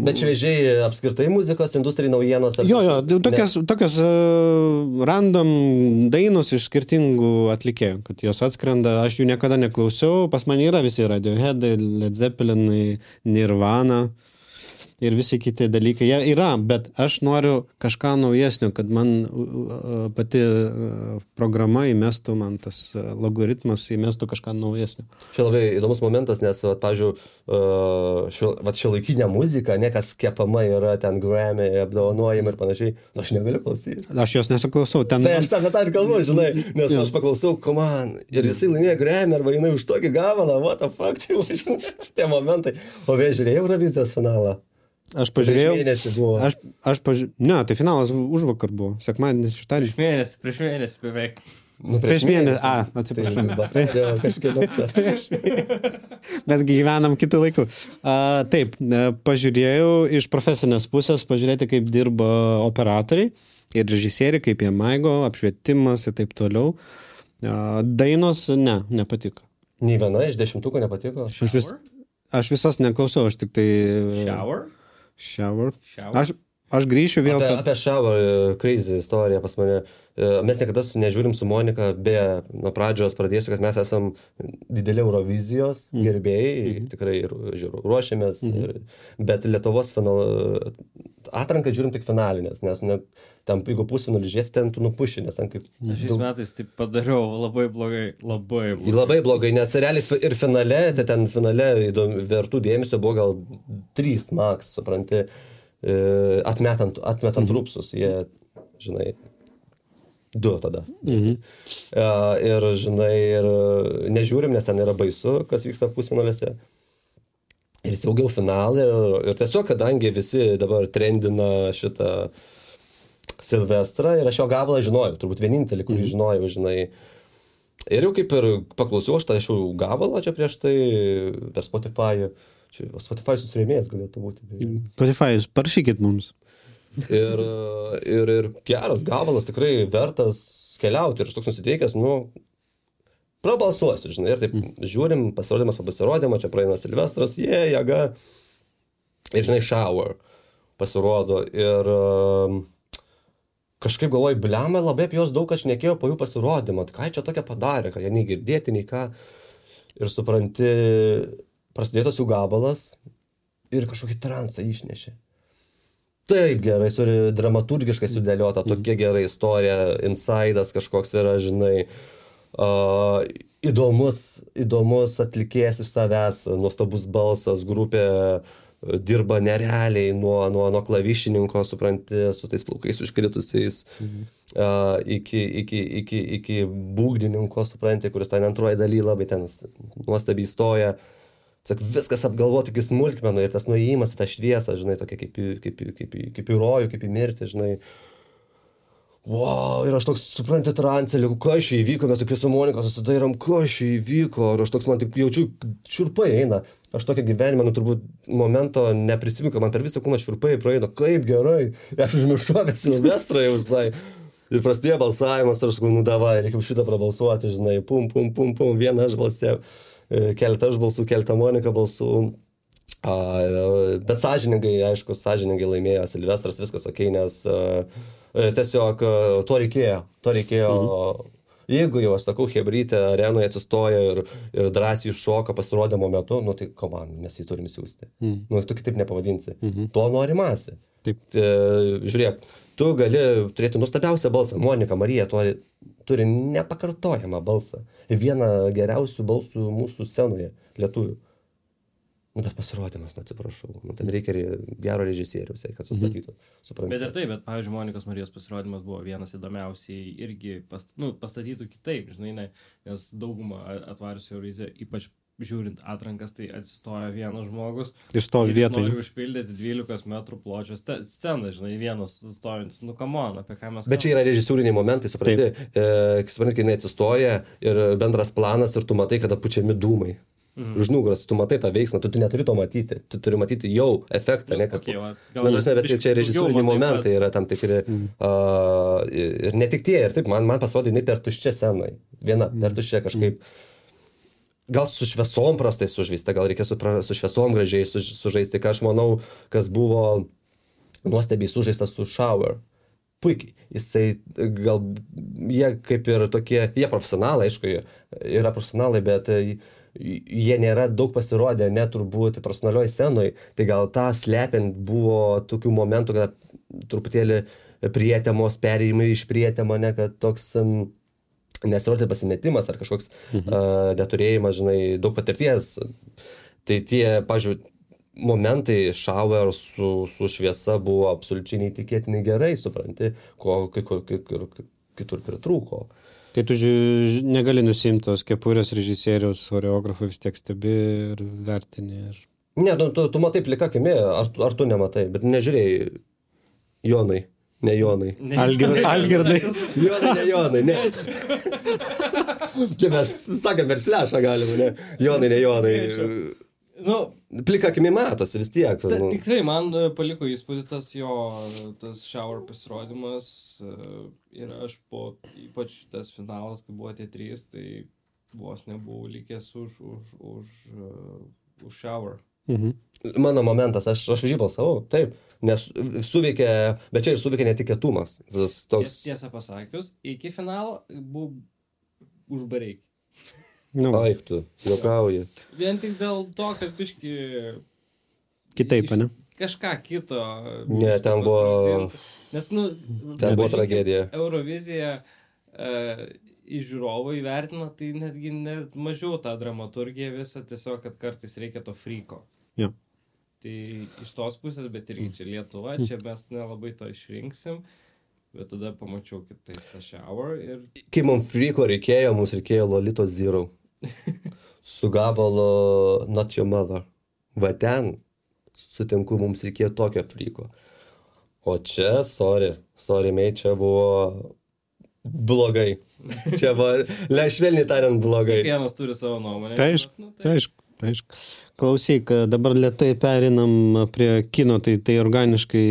bet šviežiai apskritai muzikos industrijai naujienos jo, jo, tokias, ne. tokias uh, random dainos iš skirtingų atlikėjų, kad jos atskrenda, aš jų niekada neklausiau, pas mane yra visi Radiohead, Led Zeppelin, Nirvana ir visi kiti dalykai. Jie yra, bet aš noriu kažką naujesnio, kad man pati programa įmestų, man tas logaritmas įmestų kažką naujesnio. Čia labai įdomus momentas, nes, vat, pavyzdžiui, šio, vat, šiuolaikinė muzika, ne kas kepama yra ten Grammy, apdovanojimai ir panašiai, aš negaliu klausyti. Aš jos nesiklausau. Ten... Tai aš tą tą ir kalbu, žinai, nes aš paklausau, come on, ir jisai laimėjo Grammy, arba jinai už tokį gabalą, what the fuck, tai žinai, tie momentai. O vėl žiūrėjau Eurovizijos finalą. Aš pažiūrėjau. Prieš mėnesį buvo. Aš, aš pažiūrėjau. Ne, tai finalas už vakar buvo. Sekmadienis, šeštadienis. Prieš mėnesį, prieš mėnesį beveik. Nu, prieš, prieš mėnesį. mėnesį. A, atsiprašau. Prieš mėnesį. Mes gyvenam kitų laikų. A, taip, pažiūrėjau iš profesinės pusės, pažiūrėti, kaip dirba operatoriai ir režisieriai, kaip jie maigo, apšvietimas ir taip toliau. A, dainos, ne, nepatiko. Nei viena iš dešimtuko nepatiko? Aš, vis, aš visas neklausau, aš tik tai... Shower? Shower. Aš, aš grįšiu vėl... Apie, apie Shower crazy istoriją pas mane. Mes niekada nežiūrim su Monika, be nuo pradžios pradėsiu, kad mes esam dideli Eurovizijos mm. gerbėjai, mm-hmm. tikrai žiūrų, ruošiamės, mm-hmm. ir, bet Lietuvos final, atranką žiūrim tik finalinės, nes ne, ten, jeigu pusfinalį žiūrėsi, ten tu nupuši, nes ten kaip... Aš šiais metais taip padariau labai blogai, labai blogai. Labai blogai, nes realiai ir finale, tai ten finale įdomi, vertų dėmesio buvo gal trys max, supranti, atmetant, atmetant mm-hmm. rupsus, jie, žinai, du tada. Mhm. Uh, ir, žinai, ir nežiūrim, nes ten yra baisu, kas vyksta pusfinalėse. Ir saugiau finalą. Ir, ir tiesiog, kadangi visi dabar trendina šitą Silvestrą, ir aš jo gabalą žinojau, turbūt vienintelį, kurį mhm. žinojau, žinai. Ir jau kaip ir paklausiau aš tą iš gabalą čia prieš tai per Spotify. Čia Spotify susirėmėjas galėtų būti. Spotify, parašykit mums. Ir, ir, ir geras gabalas, tikrai vertas keliauti ir aš toks nusiteikęs, nu, prabalsuosiu, žinai, ir taip žiūrim, pasirodymas po pasirodymą, čia praeina Silvestras, jie, yeah, jėga, ir, žinai, Shower pasirodo, ir um, kažkaip galvoju, bliama, labai apie jos daug aš nekėjau po jų pasirodymą, ką čia tokia padarė, kad jie nei girdėti, nei ką, ir supranti, prasidėtas jų gabalas ir kažkokį transą išnešė. Taip gerai, suri, dramaturgiškai sudėliota, tokia gera istorija, insidas kažkoks yra, žinai, uh, įdomus, įdomus atlikėjas iš savęs, nuostabus balsas, grupė dirba nerealiai nuo, nuo, nuo klavišininko, supranti, su tais plaukais užkritusiais, mhm. uh, iki, iki, iki, iki būgdininko, supranti, kuris ten antroji daly labai ten nuostabiai stoja. Sak, viskas apgalvoti iki smulkmenų ir tas nuėjimas į tą šviesą, žinai, tokia kaip, kaip, kaip, kaip į rojų, kaip į mirtį, žinai. Wow, ir aš toks, supranti, trancelį, kas čia įvyko, mes tokie su Monika susidairam, kas čia įvyko, ir aš toks, man tik jaučiu, šiurpai eina. Aš tokia gyvenime, nu, turbūt momento neprisimenu, man per visą kūną šiurpai praeina, kaip gerai, ir aš užmiršau apie Silvestrą jau, žinai. Ir prasidėjo balsavimas, ir aš sakau, nu davai, reikia šitą prabalsuoti, žinai, pum, pum, pum, pum, vieną aš balsėjau. Keletą aš balsų, keletą Monika balsų, a, bet sąžiningai, aišku, sąžiningai laimėjo Silvestras, viskas okei, nes a, tiesiog to reikėjo, to reikėjo. Mhm. Jeigu jau, aš sakau, Hebrytė arenoje atsistoja ir, ir drąsiai šoka pasirodymo metu, nu tai koman, mes jį turim siūsti. Mm. Nu, tu kitaip nepavadinsi. Mm-hmm. To nori masė. Taip. E, žiūrėk, tu gali turėti nuostabiausią balsą. Monika Marija turi, turi nepakartojamą balsą. Ir vieną geriausių balsų mūsų scenoje, lietuvių. Nu, bet pasirodymas, nu, atsiprašau. Nu, ten reikia gero režisieriaus, kad sustatytų. Suprantu. Bet ir taip, bet, pavyzdžiui, Monikos Marijos pasirodymas buvo vienas įdomiausiai irgi past, nu, pastatytų kitaip, žinai, ne, nes daugumą atvariusių Euroviziją, ypač žiūrint atrankas, tai atsistoja vienas žmogus. Ir stovi vietoj. Nori užpildyti dvylikos metrų pločio sceną, žinai, vienas stovintis, nu, come on, apie ką mes... Bet čia yra režisūriniai momentai, supranti, e, supranti, kai jinai atsistoja ir bendras planas ir tu matai, kada pučiami dūmai. Mhm. Už nugaros, tu matai tą veiksmą, tu, tu neturi to matyti, tu turi matyti jau efektą, ne, kad... Okay, va, gal, nu, bet čia režisūriniai momentai yra tam tikri, mhm. uh, ir ne tik tie, ir taip, man, man pasirodė, jinai per tuščią scenai, viena, mhm. per tuščią kažkaip, gal su šviesom prastai sužaista, gal reikia su, su šviesom gražiai su, sužaisti, ką aš manau, kas buvo nuostabiai sužaistas su Shower. Puikiai. Jisai, gal, jie kaip ir tokie, jie profesionalai, aišku, yra profesionalai, bet jie nėra daug pasirodę, net turbūt profesionalioj scenoj, tai gal tą slepiant buvo tokių momentų, kad truputėlį prietemos, perėjimai iš prietemo, ne, kad toks um, nesirodė pasimetimas ar kažkoks mhm. uh, neturėjimas, žinai, daug patirties. Tai tie, pažiūrėjau, momentai Shower su, su šviesa buvo absoliučiai neįtikėtinai gerai, supranti, ko kai kur kitur pritrūko. Tai tu ži... negali nusimti tos kepurės režisieriaus, choreografų vis tiek stebi ir vertini. Ir... Ne, tu, tu, tu matai plika akimi, ar, ar tu nematai, bet nežiūrėjai Jonai, ne Jonai. Ne. Algirdai. Algirdai. Jonai, ne Jonai, ne. Čia mes sakėm verslešą galime, ne. Jonai, ne Jonai. Nu, plika akimi matosi vis tiek. Ta, nu. Tikrai man paliko įspūdį tas jo, tas Shower pasirodymas ir aš po, ypač tas finalas, kai buvo tie trys, tai vos nebuvau likęs už, už, už, už Shower. Mhm. Mano momentas, aš, aš už jį balsavau, taip, nes suveikė, bet čia ir suveikė netikėtumas. Tas toks... Tiesą pasakius, iki finalo buvau už Bareikį. No. Aik tu, juokauji. Vien tik dėl to, kad biški... Kitaip, ne? Kažką kito. Ne, ten buvo... Nes, nu... Ten buvo tragedija. Eurovizija e, iš žiūrovų įvertino, tai netgi net mažiau tą dramaturgiją visą, tiesiog, kad kartais reikia to friko. Jo. Tai iš tos pusės, bet irgi čia Lietuva, čia mes nelabai to išrinksim. Bet tada pamačiau kitaip tą Shower ir... Kai mums friko reikėjo, mums reikėjo Lolitos Zero. Su gabalo Not Your Mother. Va ten, sutinku, mums reikėjo tokio friko. O čia, sorry, sorry, mei, čia buvo blogai. Čia buvo, švelniai tariant, blogai. Kiekvienas turi savo nuomonę. Tai aišku, nu, tai aišku. aišku. Klausyk, dabar lėtai perinam prie kino, tai, tai organiškai...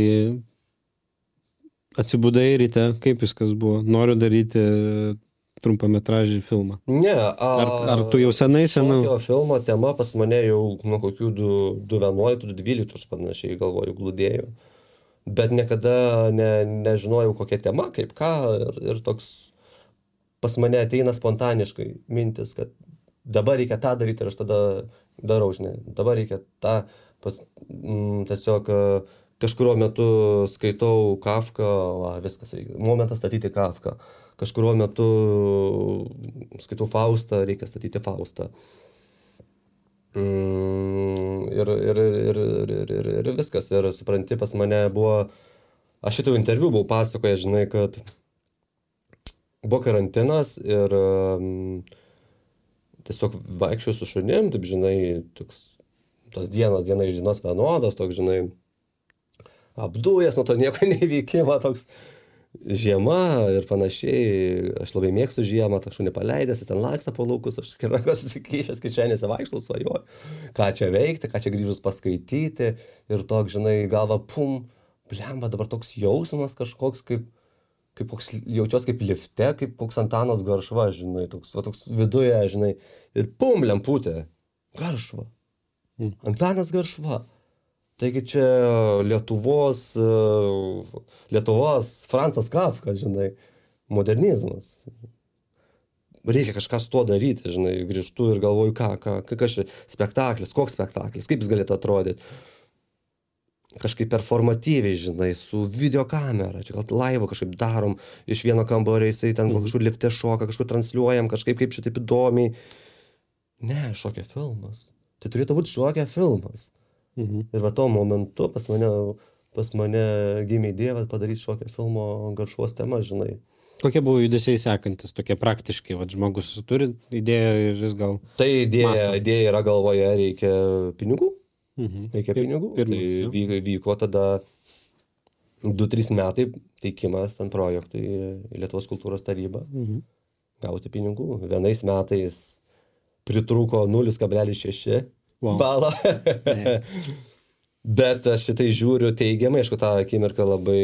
Atsibudai ryte, kaip viskas buvo? Noriu daryti trumpametražį filmą. Ne. A, ar, ar tu jau senai senai? Šokio filmo tema pas mane jau nuo kokių du vienuoliktų, du dvyliktų, aš panašiai galvoju, glūdėjau. Bet niekada ne, nežinojau kokia tema, kaip ką. Ir, ir toks pas mane ateina spontaniškai mintis, kad dabar reikia tą daryti ir aš tada darau, žinai. Dabar reikia tą pas, m, tiesiog... Kažkurio metu skaitau Kafką, va, viskas reikia. Momentas statyti Kafką. Kažkurio metu skaitau Faustą, reikia statyti Faustą. Mm, ir, ir, ir, ir, ir, ir viskas. Ir supranti, pas mane buvo... Aš šitą interviu buvau pasakoję, žinai, kad buvo karantinas ir um, tiesiog vaikščiau su šunim, taip, žinai, toks, tos dienos, diena iš dienos vienodos, toks, žinai, apdujęs nuo to nieko neįvykimo, toks žiema ir panašiai. Aš labai mėgstu žiemą, tą šunį paleidęs, ten laksta po laukus, aš rankos susikyšęs, kišenėse vaikštau, svajoju, ką čia veikti, ką čia grįžus paskaityti. Ir toks, žinai, galva, pum, blemba, dabar toks jausmas kažkoks, kaip, kaip koks, jaučios kaip lifte, kaip koks Antanas Garšva, žinai, toks, va, toks viduje, žinai, ir pum, lemputė, Garšva. Mm. Antanas Garšva. Taigi čia Lietuvos, Lietuvos Francas Kafka, žinai, modernizmas. Reikia kažką su tuo daryti, žinai, grįžtu ir galvoju, ką, ką, kas čia, spektaklis, koks spektaklis, kaip jis galėtų atrodyti. Kažkaip performatyviai, žinai, su videokamera, čia gal laivo kažkaip darom, iš vieno kambario jisai ten gal kažkur lifte šoka, kažkur transliuojam, kažkaip kaip čia taip įdomiai. Ne, šokia filmas. Tai turėtų būti šokia filmas. Mhm. Ir va to momentu pas mane, pas mane gimė idėja padaryti šokia filmo Garšvos tema, žinai. Kokie buvo judesiai sekantis, tokie praktiškai, va, žmogus turi idėją ir jis gal... Tai idėja, Mąsto. idėja yra galvoje, reikia pinigų. Mhm. Reikia Pir- pinigų. pirmas, Tai jo. vyko, vyko tada du trys metai teikimas ten projektui į Lietuvos kultūros tarybą. Mhm. Gauti pinigų. Vienais metais pritrūko nulis kablelis šeši Wow. balo. Yes. Bet aš šitai žiūriu teigiamai, aišku, tą akimirką labai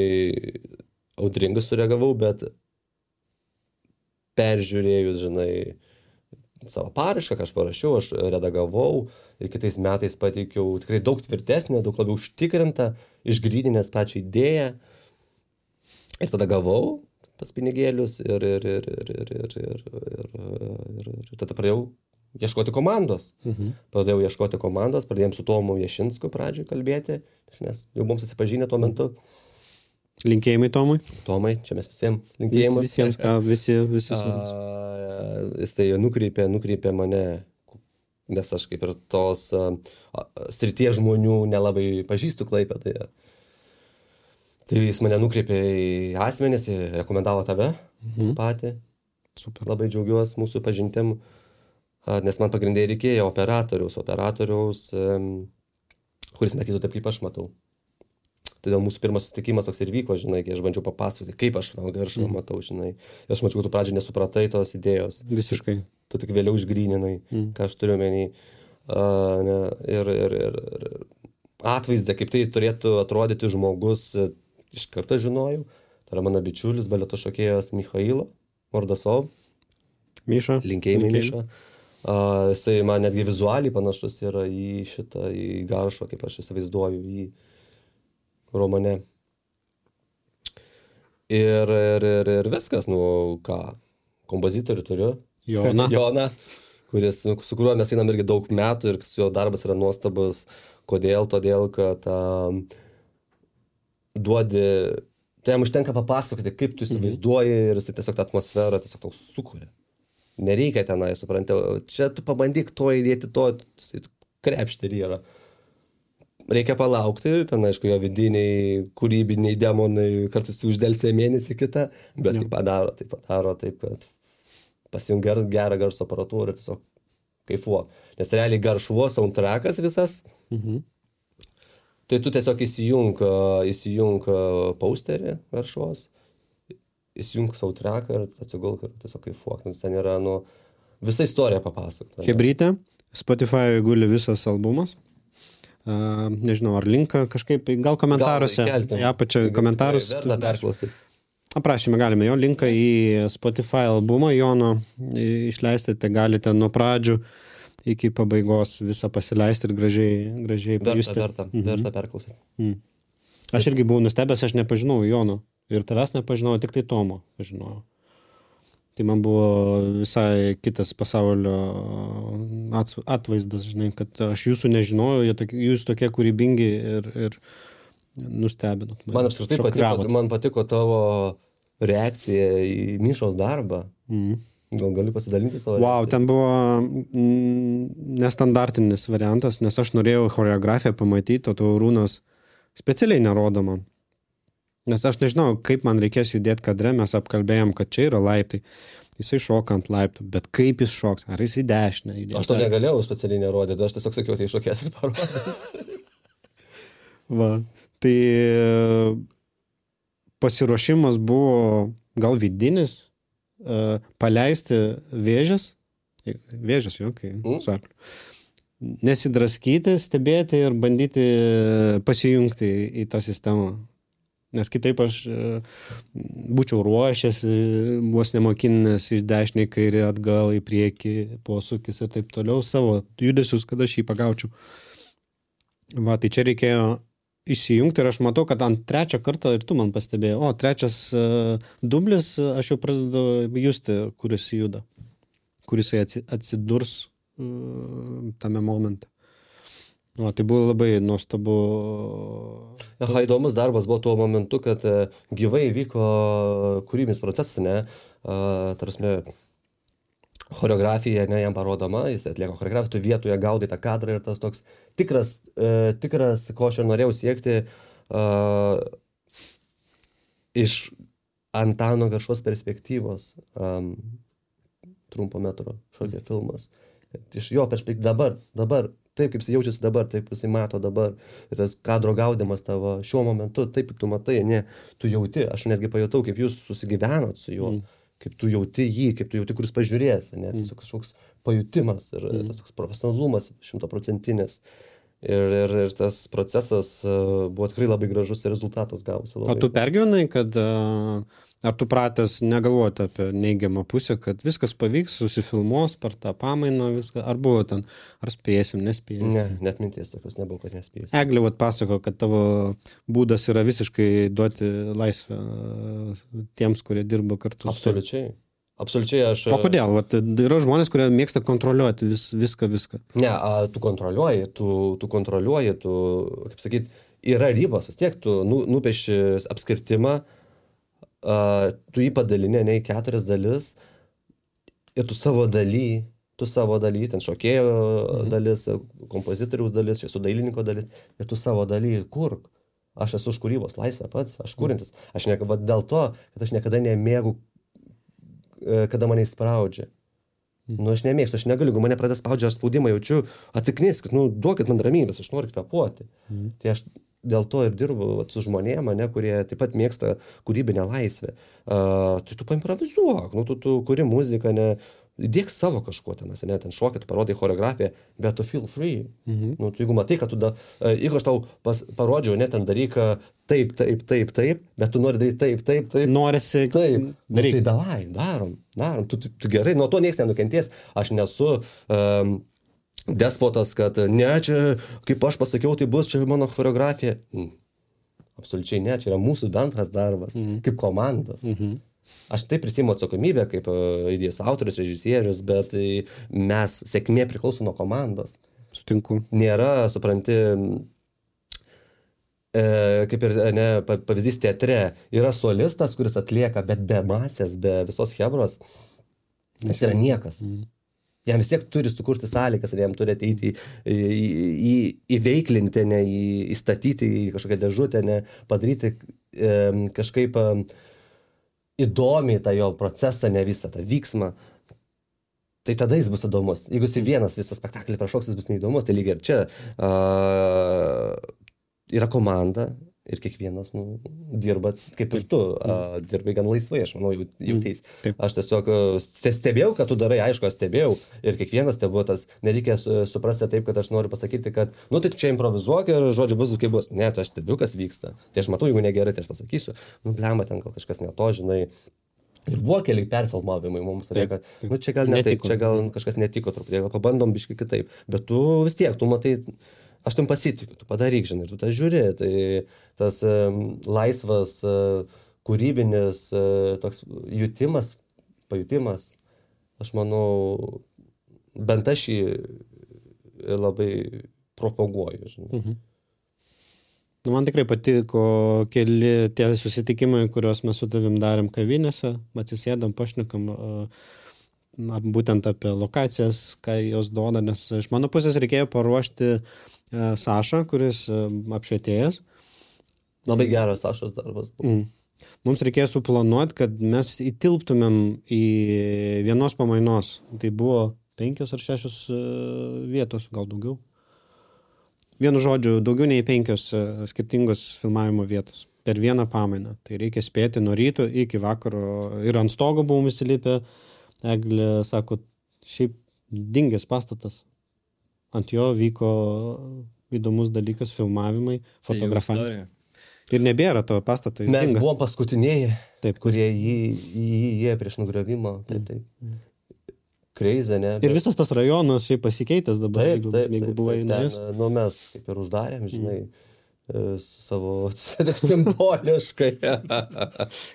audringai sureagavau, bet peržiūrėjus, žinai, savo parašką, ką aš parašiau, aš redagavau ir kitais metais pateikiau tikrai daug tvirtesnę, daug labiau užtikrintą, išgryninęs pačią idėją. Ir tada gavau tas pinigėlius ir, ir, ir, ir, ir, ir, ir, ir, ir, ir tada pradėjau ieškoti komandos. Mhm. Pradėjau ieškoti komandos, pradėjom su Tomu Ješinsku pradžioj kalbėti, nes jau buvom susipažinę tuo metu. Linkėjimai Tomui. Tomai, čia mes visiems Vis, linkėjimus. visiems, ką, visi, visi smagus. A, jis tai nukreipė, nukreipė mane, nes aš kaip ir tos a, a, srities žmonių nelabai pažįstu Klaipėdoje. Tai jis mane nukreipė į asmenis, rekomendavo tave Mhm. patį. Super. Labai džiaugiuosi mūsų pažintim, a, nes man pagrindai reikėjo operatoriaus, operatoriaus, em, kuris matytų taip, kaip aš matau. Todėl mūsų pirmas susitikimas toks ir vyko, žinai, kai aš bandžiau papasakoti, kaip aš tą garšą Mhm. matau, žinai. Ir aš mačiau, kad tu pradžiai nesupratai tos idėjos. Visiškai. Tu tik vėliau išgryninai, Mhm. ką aš turiu menį. Uh, ne, ir, ir, ir, ir atvaizdą, kaip tai turėtų atrodyti žmogus, e, iš karto žinojau. Tai yra mano bičiulis, baleto šokėjas Michailo Mordasov. Miša. Linkėjimai, Miša. Uh, jisai man netgi vizualiai panašus yra į šitą, į Garšą, kaip aš įsivaizduoju, į romane. Ir, ir, ir, ir viskas, nu ką, kompozitorių turiu. Joną. Joną, kuris, nu, su kuriuo mes einam irgi daug metų ir su jo darbas yra nuostabus. Kodėl? Todėl, kad um, duodi, tai jam užtenka papasakoti, kaip tu įsivaizduoji ir jis tiesiog tą atmosferą tiesiog tau sukuria. Nereikia tenai, supranti, čia tu pabandyk to įdėti, to krepšti ir yra. Reikia palaukti, ten aišku, jo vidiniai, kūrybiniai demonai kartais uždelsė mėnesį kitą, bet Jo. tai padaro, tai padaro taip, kad pasijung ger- gerą garso aparatūrą ir tiesiog kaifuok. Nes realiai Garšvos soundtrackas visas, Mhm. tai tu tiesiog įsijung, įsijung posterį Garšvos, įsijung soundtracką ir atsigulk ir tiesiog kaifuok. Nes ten yra, nu, visa istorija papasakota. Hebrytė. Spotify guli visas albumas. Uh, nežinau, ar linką kažkaip, gal komentaruose. įkelkim. Į apačią komentarus. Verta perklausyti. Aprašyme galime jo linką į Spotify albumą Jono išleisti, tai galite nuo pradžių iki pabaigos visą pasileisti ir gražiai, gražiai Verta, pajusti. verta, Mhm. verta perklausyti. Mm. Aš irgi buvau nustebęs, aš nepažinau Jono. Ir tavęs nepažinau, tik tai Tomo pažinojau. Tai man buvo visai kitas pasaulio ats- atvaizdas, žinai, kad aš jūsų nežinojau, jie tokie, jūs tokie kūrybingi ir, ir nustebinot. mane. Man apskritai patiko, Šokravot. man patiko tavo reakcija į Mišos darbą. Mhm. Gal gali pasidalinti savo Wow, reakcija? ten buvo mm, nestandartinis variantas, nes aš norėjau choreografiją pamatyti, o to Rūnas specialiai nerodo man. Nes aš nežinau, kaip man reikės judėti kadre, mes apkalbėjom, kad čia yra laiptai. Jisai šoka ant laiptų, bet kaip jis šoks? Ar jis į dešinę judės? Aš to negalėjau specialiai nerodyti, aš tiesiog sakiau, tai šokės ir parodys. Va, tai e, pasiruošimas buvo gal vidinis, e, paleisti vėžes, vėžes jau, kai Mm. su arkliu, nesidraskyti, stebėti ir bandyti pasijungti į, į tą sistemą. Nes kitaip aš e, būčiau ruošęs, vos nemokinęs iš dešinį, kairį, atgal, į priekį, posūkis ir taip toliau, savo judesius, kad aš jį pagaučiau. Va, tai čia reikėjo išsijungti ir aš matau, kad ant trečią kartą ir tu man pastebėjai, o trečias uh, dublis, aš jau pradedu justi, kuris juda, kuris atsidurs uh, tame momente. O, tai buvo labai nuostabu. Aha, įdomus darbas buvo tuo momentu, kad gyvai vyko kūrybinis procesas, ne, uh, tarpsme, choreografija, ne, jam parodoma, jis atlieka choreografiją, tu vietoje gaudai tą kadrą ir tas toks tikras, uh, tikras, ko aš ir norėjau siekti, uh, iš Antano Garšos perspektyvos, um, trumpo metro šokio filmas. Iš jo perspektyvos dabar, dabar, taip kaip jis jaučiasi dabar, taip kaip jis mato dabar. Ir tas kadro gaudimas tavo šiuo momentu, taip kaip tu matai, ne, tu jauti, aš netgi pajutau, kaip jūs susigyvenot su juo, mm. kaip tu jauti jį, kaip tu jauti, kuris pažiūrės, ne, mm. tiesiog kažkoks pajutimas ir mm. tas profesionalumas šimtaprocentinis. Ir, ir, ir tas procesas uh, buvo tikrai labai gražus ir rezultatas gavosi. O tu pergyvenai, kad uh, ar tu pratęs negalvoti apie neigiamą pusę, kad viskas pavyks, susifilmuos per tą pamainą, viską, ar buvo ten, ar spėsim, nespėsim? Ne, net minties tokios nebuvo, kad nespėsim. Eglė vat pasako, kad tavo būdas yra visiškai duoti laisvę tiems, kurie dirba kartu. Absoliučiai. Absoliučiai aš... O kodėl? Vat, yra žmonės, kurie mėgsta kontroliuoti vis, viską, viską. Ne, a, tu kontroliuoji, tu, tu kontroliuoji, tu, kaip sakyt, yra ribos, vis tiek tu nu, nupieši apskirtimą, a, tu jį padalinė, ne į keturias dalis ir tu savo daly, tu savo daly, ten šokėjo mhm. dalis, kompozitoriaus dalis, čia su dailininko dalis ir tu savo daly kurk. Aš esu už kūrybos laisvę pats, aš kūrintis. Aš ne, va, dėl to, kad aš niekada nemėgu kada mane įspraudžia. Nu, aš nemėgstu, aš negaliu, jeigu mane pradės spaudžia, aš spaudimą jaučiu, atsikniskit, nu, duokit man ramybės, aš noriu kvepuoti. Mm. Tai aš dėl to ir dirbu vat, su žmonėm, ne, kurie taip pat mėgsta kūrybinę laisvę. Uh, tai tu paimprovizuok, nu, tu, tu kuri muziką, ne, dėk savo kažkuo ten, ne, ten šokit, parodai choreografiją, bet tu feel free. Mm-hmm. Nu, tu, jeigu matai, kad tu, da, jeigu aš tau pas, parodžiau, ne, ten daryk taip, taip, taip, taip, bet tu nori daryti taip, taip, taip. Norisi taip. Daryk. Nu, tai davai, darom, darom. Tu, tu, tu gerai, nuo to nieks nenukenties. Aš nesu um, despotas, kad ne, čia, kaip aš pasakiau, tai bus čia mano choreografija. Mm. Absoliučiai ne, čia yra mūsų bendras darbas, mm-hmm. kaip komandos. Mm-hmm. Aš taip prisiimu atsakomybę kaip uh, idėjos autorius, režisierius, bet uh, mes, sėkmė priklauso nuo komandos. Sutinku. Nėra, supranti, kaip ir ne, pavyzdys teatre, yra solistas, kuris atlieka, bet be masės, be visos chebros, jis yra niekas. Mm. Jam vis tiek turi sukurti sąlygas, jam turi ateiti į, į, į, įveiklinti, ne, į, įstatyti į kažkokią dėžutę, ne, padaryti e, kažkaip e, įdomiai tą jo procesą, ne visą tą vyksmą. Tai tada jis bus įdomus. Jeigu jis vienas visą spektaklį prašoks, jis bus neįdomus, tai lygiai ir čia. Uh, yra komanda ir kiekvienas nu, dirba kaip ir tu, uh, dirbai gan laisvai, aš manau, jau, jau teis. Taip. Aš tiesiog stebėjau, kad tu darai, aišku, aš stebėjau ir kiekvienas tai buvo tas, nereikia suprasti taip, kad aš noriu pasakyti, kad, nu tai čia improvizuok ir žodžiu bus, kaip bus. Ne, tai aš stebiu, kas vyksta. Tai aš matau, jeigu negerai, tai aš pasakysiu, nu blemba, ten gal kažkas ne to, žinai. Ir buvo keli perfilmavimai mums, taip, kad, nu čia gal ne taip, čia gal kažkas netiko truputį, gal pabandom biškai kitaip. Bet tu vis tiek, tu matai, aš tam pasitikiu, tu padaryk, žinai, tu tą žiūri. Tai tas um, laisvas, uh, kūrybinis uh, toks jutimas, pajutimas, aš manau, bent aš jį labai propaguoju, žinai. Mhm. Man tikrai patiko keli tie susitikimai, kuriuos mes su tavim darėm kavinėse, atsisėdam, pašnekam būtent apie lokacijas, ką jos duoda, nes iš mano pusės reikėjo paruošti Sašą, kuris apšvietėjas. Labai geras Sašos darbas buvo. Mm. Mums reikėjo suplanuoti, kad mes įtilptumėm į vienos pamainos. Tai buvo penkios ar šešios vietos, gal daugiau. Vienu žodžiu, daugiau nei penkios skirtingos filmavimo vietos per vieną pamainą. Tai reikia spėti nuo ryto iki vakaro. Ir ant stogo buvom įsilipę. Eglė sako, šiaip dingęs pastatas. Ant jo vyko įdomus dalykas, filmavimai, fotografavimai. Ir nebėra to pastato. Mes dinga. buvom paskutiniai, taip, kurie jį įėjo prieš nugriovimą. Taip, taip. Crazy, ne? Ir visas tas rajonas šiaip pasikeitęs dabar, Taip, jeigu, taip, jeigu taip, buvai taip, nuėjęs. ten, nu, mes kaip ir uždarėm, žinai, mm. savo simboliškai.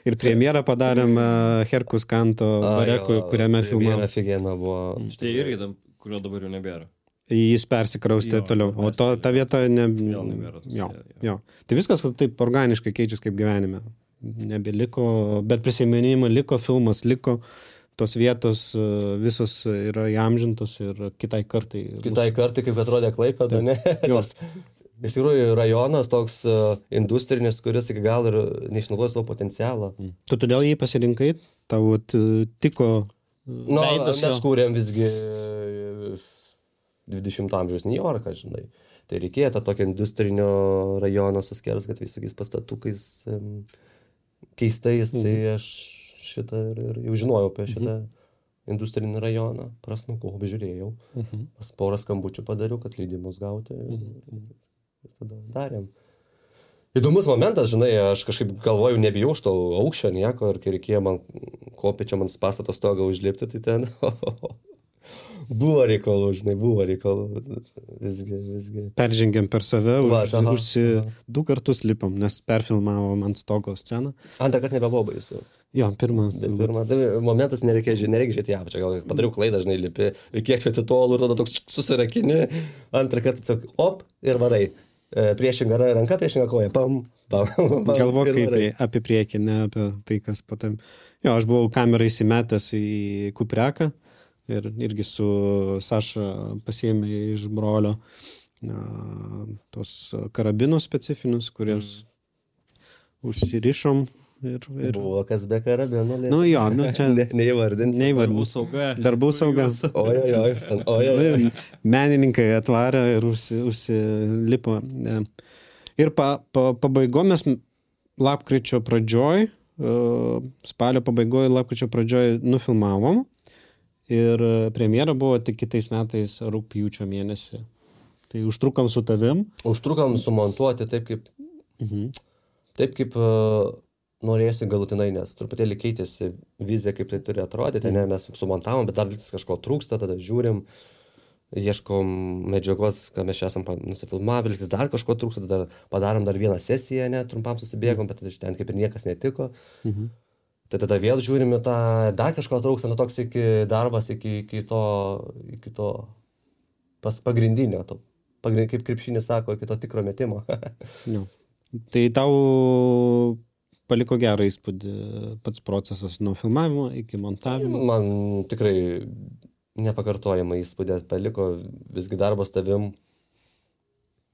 Ir premjerą padarėm uh, Herkus Kanto bare, jo, kuriame filmavom. Premjera figėna buvo. Tai irgi, tam, kurio dabar jau nebėra. Jis persikraustė Jo, toliau, o to, ta vieta ne... Vėl nebėra tos Jo, vietos, jo. Tai viskas taip organiškai keičiasi kaip gyvenime. Nebeliko, bet prisiminimai liko, filmas liko, tos vietos visos yra įamžintos ir kitai kartai. Kitai kartai, kaip atrodė Klaipėda, ne? Nes, iš tikrųjų, rajonas toks uh, industrinis, kuris iki gal ir neišnaudoja savo potencialą. Mm. Tu todėl jį pasirinkai, tau tiko Nu, veidas mes jo. kūrėm visgi dvidešimto amžiaus New Yorką, žinai. Tai reikėjo tą tokio industrinio rajono su skersgatviais, tokiais pastatukais um, keistais, Mhm. tai aš šitą ir, ir jau žinojau apie šitą industrinį rajoną, prasmukau, apžiūrėjau, Mhm. pas porą skambučių padariau, kad leidimus gauti ir, Mhm. ir tada darėm. Įdomus momentas, žinai, aš kažkaip galvoju, nebijau už to aukščio nieko ir kai reikėjo man kopėčią man pastato stogą užlipti, tai ten buvo reikalų, žinai, buvo reikalų, visgi, visgi. Peržengėm per save, Va, už, aha, užsi, aha. du kartus lipom, nes perfilmavom ant stogo sceną. Antrą kartą nebebuvo baisu. Jo, pirmą. Bet pirmą, tai momentas nereikia, ži- nereikia žiūrėti ją, čia gal padariau klaidą, žinai, lipi, ir kiek čia atitolų ir tada toks susirakini, antrą kartą tiesiog op ir varai. E, priešinga ra- ranka, priešinga koja, pam, pam, pam. Galvok ir kaip varai. prie, apie priekį, ne apie tai, kas patam. Jo, aš buvau kamerą įsimetęs į kupreką ir irgi su Saša pasiėmė iš brolio a, tos karabinus specifinius, kurias užsirišom ir... ir... Buvo kas be karabino. Nu jo, nu čia ne, neįvardinsi. Darbų neįvardinsiu. sauga. Darbų sauga. Oi, oi, oi, oi, oi, oi. Menininkai atvarė ir užsi, užsilipo. E, Ir pa, pa, pabaigom mes lapkričio pradžioj, e, spalio pabaigoj, lapkričio pradžioj nufilmavom. Ir premjera buvo tik kitais metais rugpjūčio mėnesį. Tai užtrukom su tavim. Užtrukom sumontuoti taip, kaip, Mhm. taip, kaip uh, norėjusi galutinai, nes truputėlį keitėsi vizija, kaip tai turi atrodyti, ne, mes sumontavom, bet dar vis kažko trūksta, tada žiūrim, ieškom medžiagos, ką mes čia esam pa- nusifilmavę, lygtais dar kažko trūksta, tada padarom dar vieną sesiją, ne, trumpam susibėgom, bet tada iš ten kaip ir niekas netiko. Mhm. Tai tada vėl žiūrim į tą, dar kažko trūksta, nu toks iki darbas, iki, iki to, iki to pas pagrindinio, to, pagrind, kaip krepšinis sako, iki to tikro metimo. Jo. Tai tau paliko gerą įspūdį pats procesas nuo filmavimo iki montavimo. Man tikrai nepakartojama įspūdė paliko, visgi darbas tavim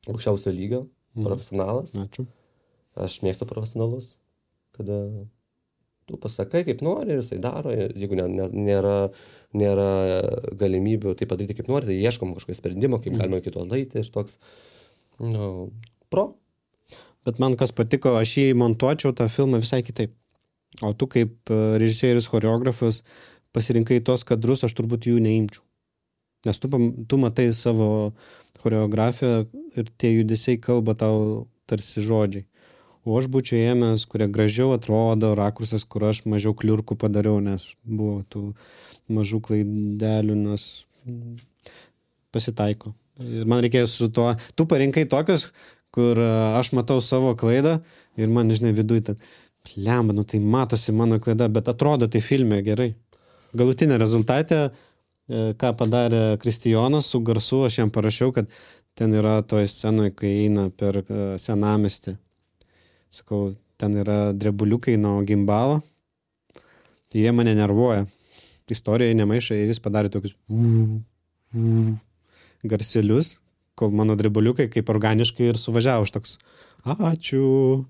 aukščiausio lygio, Mhm. profesionalas. Ačiū. Aš mėgstu profesionalus, kada tu pasakai, kaip nori ir jisai daro, ir jeigu ne, ne, nėra, nėra galimybių tai padaryti kaip nori, tai ieškom kažkokio sprendimo, kaip galima iki to daryti ir toks, nu, pro. Bet man kas patiko, aš jį montuočiau tą filmą visai kitaip. O tu kaip e, režisierius, choreografas pasirinkai tos kadrus, aš turbūt jų neimčiau. Nes tu, pam- tu matai savo choreografiją ir tie judesiai kalba tau tarsi žodžiai. O aš būčiau ėmęs, kurie gražiau atrodo, rakursas, kur aš mažiau kliurkų padariau, nes buvo tų mažų klaidelių, nes mm, pasitaiko. Ir man reikėjo su tuo, tu parinkai tokius, kur a, aš matau savo klaidą ir man, žinai, viduj ten, lemba, nu tai matosi mano klaida, bet atrodo tai filme gerai. Galutinė rezultatė, e, ką padarė Kristijonas su garsu, aš jam parašiau, kad ten yra toje scenoje, kai eina per e, senamestį. Sakau, ten yra drebuliukai nuo gimbalo. Tai jie mane nervuoja. Istorijai nemaiša ir jis padarė tokius garselius, kol mano drebuliukai kaip organiškai ir suvažiavo. Aš toks, ačiū.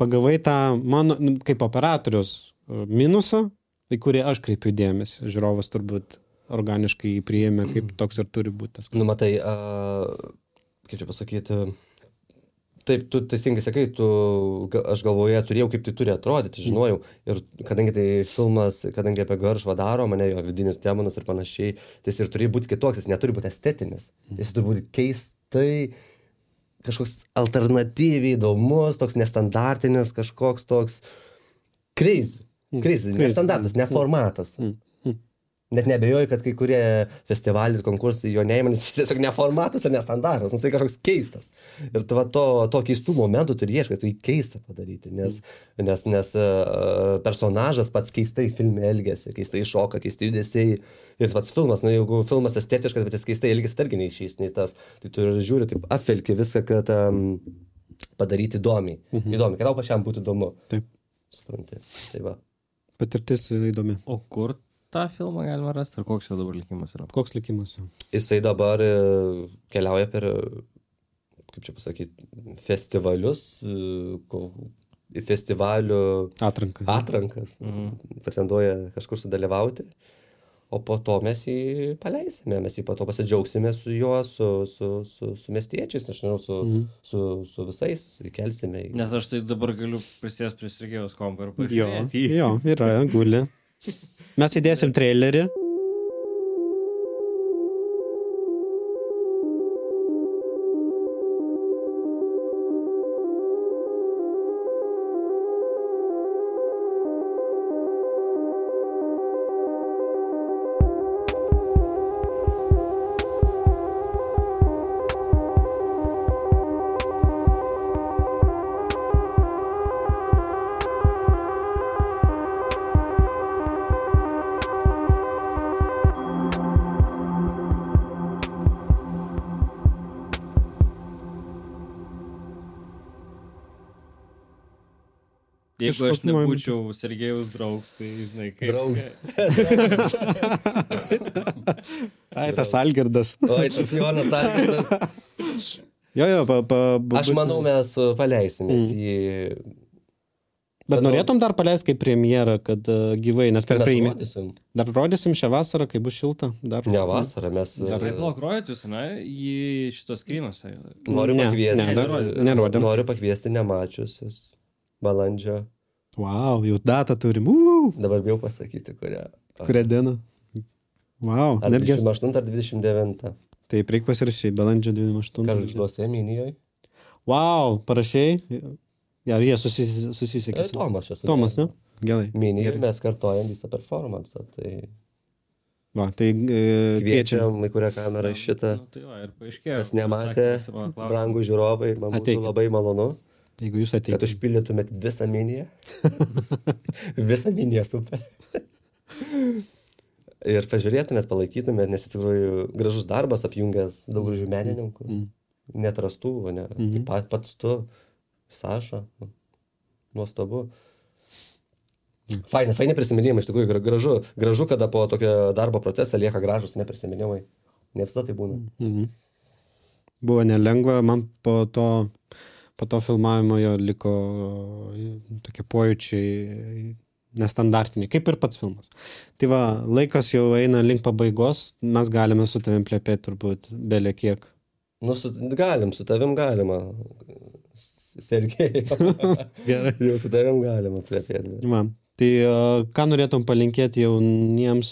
Pagavai tą mano, nu, kaip operatorius e, minusą, į kurį aš kreipiu dėmesį. Žiūrovas turbūt organiškai jį priėmė, kaip toks ir turi būti. Nu, matai, a, kaip čia pasakyti, taip, tu teisingai sakai, tu, ga- aš galvoje turėjau, kaip tai turi atrodyti, žinojau. Ir kadangi tai filmas, kadangi apie Garšvą daro, mane jo vidinis demonas ir panašiai, tai jis ir turi būti kitoks, jis neturi būti estetinis. Jis turi būti keistai, kažkoks alternatyviai įdomus, toks nestandartinis, kažkoks toks crazy. Crazy, crazy. nestandartas, ne formatas. Mm. Mm. Net nebejoju, kad kai kurie festivaliai ir konkursai jo neima, nes jis tiesiog neformatas ir nestandartas, nusai kažkoks keistas. Ir tu va, to, to keistų momentų turi ieškai, tu jį keistą padaryti, nes, nes, nes uh, personažas pats keistai filme elgėsi, keistai šoka, keistai judesiai. Ir pats filmas, nu jeigu filmas estetiškas, bet jis keistai elgėsi, tai irgi neišys, nei tas. Tai tu žiūri, taip apvelki viską, kad um, padaryti įdomiai. Mhm. Įdomi, kad tau pačiam būtų įdomu. Taip. Supranti. Tai va. Patirtis įdomi. O kur tą filmą galima rasti? Ar koks jo dabar likimas yra? Koks likimas jo? Jisai dabar keliauja per, kaip čia pasakyti, festivalius, festivalių atrankas. atrankas. Mhm. Pretenduoja kažkur sudalyvauti. O po to mes jį paleisime, mes jį po to pasidžiaugsime su juo, su, su, su, su miestiečiais, nežinau, su, mm. su, su visais, kelsime. Nes aš tai dabar galiu prisės prie Sergejaus kompo ir Jo, pažiūrėti. jo, yra, guli. Mes įdėsim trailerį. Jeigu aš Kažkoks man- nebūčiau Sergejaus draugs, tai žinai, kaip... Draugs. Ai, tas Algirdas. Oi, tas Jonas Algirdas. Jo, jo, pa, pa, Aš manau, mes paleisime Mm. jį. Bet manau- norėtum dar paleisti kaip premjerą, kad uh, gyvai, nes per Mes premjerą. rodysim. Dar rodysim šią vasarą, kai bus šilta. Dar... Ne vasarą, mes Dar- Tai blok rojat jūs, ne? Į šitos krynuose. noriu Ne, pakviesti. ne, dar nerodėm. Noriu pakviesti nemačiusius. Balandžio. Wow, jau datą turim. Uh, Dabar bijau pasakyti, kurią. kurią dieną. Wow, Ar netgi. dvidešimt aštuntą ar dvidešimt devintą. Taip, reikia pasirašyti, balandžio dvidešimt aštuntą. Karžduose Minijoje. Wow, parašiai. Ar jie susis, susisiekė? su- Tomas čia su Tomas, ne? Gerai. Minijoje Gerai. mes kartojam visą performansą. Tai Va, tai e, kviečiam. kviečiam, į kurią kamerą šitą. Nu, tai va, ir paaiškėjo. Kas nematė, atsakymas į mano klausimą. brangų žiūrovai, man būtų Ateikit. labai malonu, Jeigu jūs kad ateikite. užpildytumėt visą miniją. visą miniją super. Ir pažiūrėtumėt, palaikytumėt, nes iš tikrųjų gražus darbas apjungęs daug gražių menininkų. Mm. Netrastų, o ne. Mhm. Kaip pat, pats tu, Saša. Nuostabu. Faini, faini prisiminimai, iš tikrųjų gra- gražu. Gražu, kada po tokio darbo procesą lieka gražus neprisiminimai. Ne visada tai būna. Mhm. Buvo nelengva, man po to, po to filmavimo jo liko tokie pojūčiai nestandartiniai, kaip ir pats filmas. Tai va, laikas jau eina link pabaigos, mes galime su tavim plepėti turbūt belė kiek. Nu, su, galim, su tavim galima. Sergej. Gerai. Jau su tavim galima plepėti. Va, tai uh, ką norėtum palinkėti jauniems,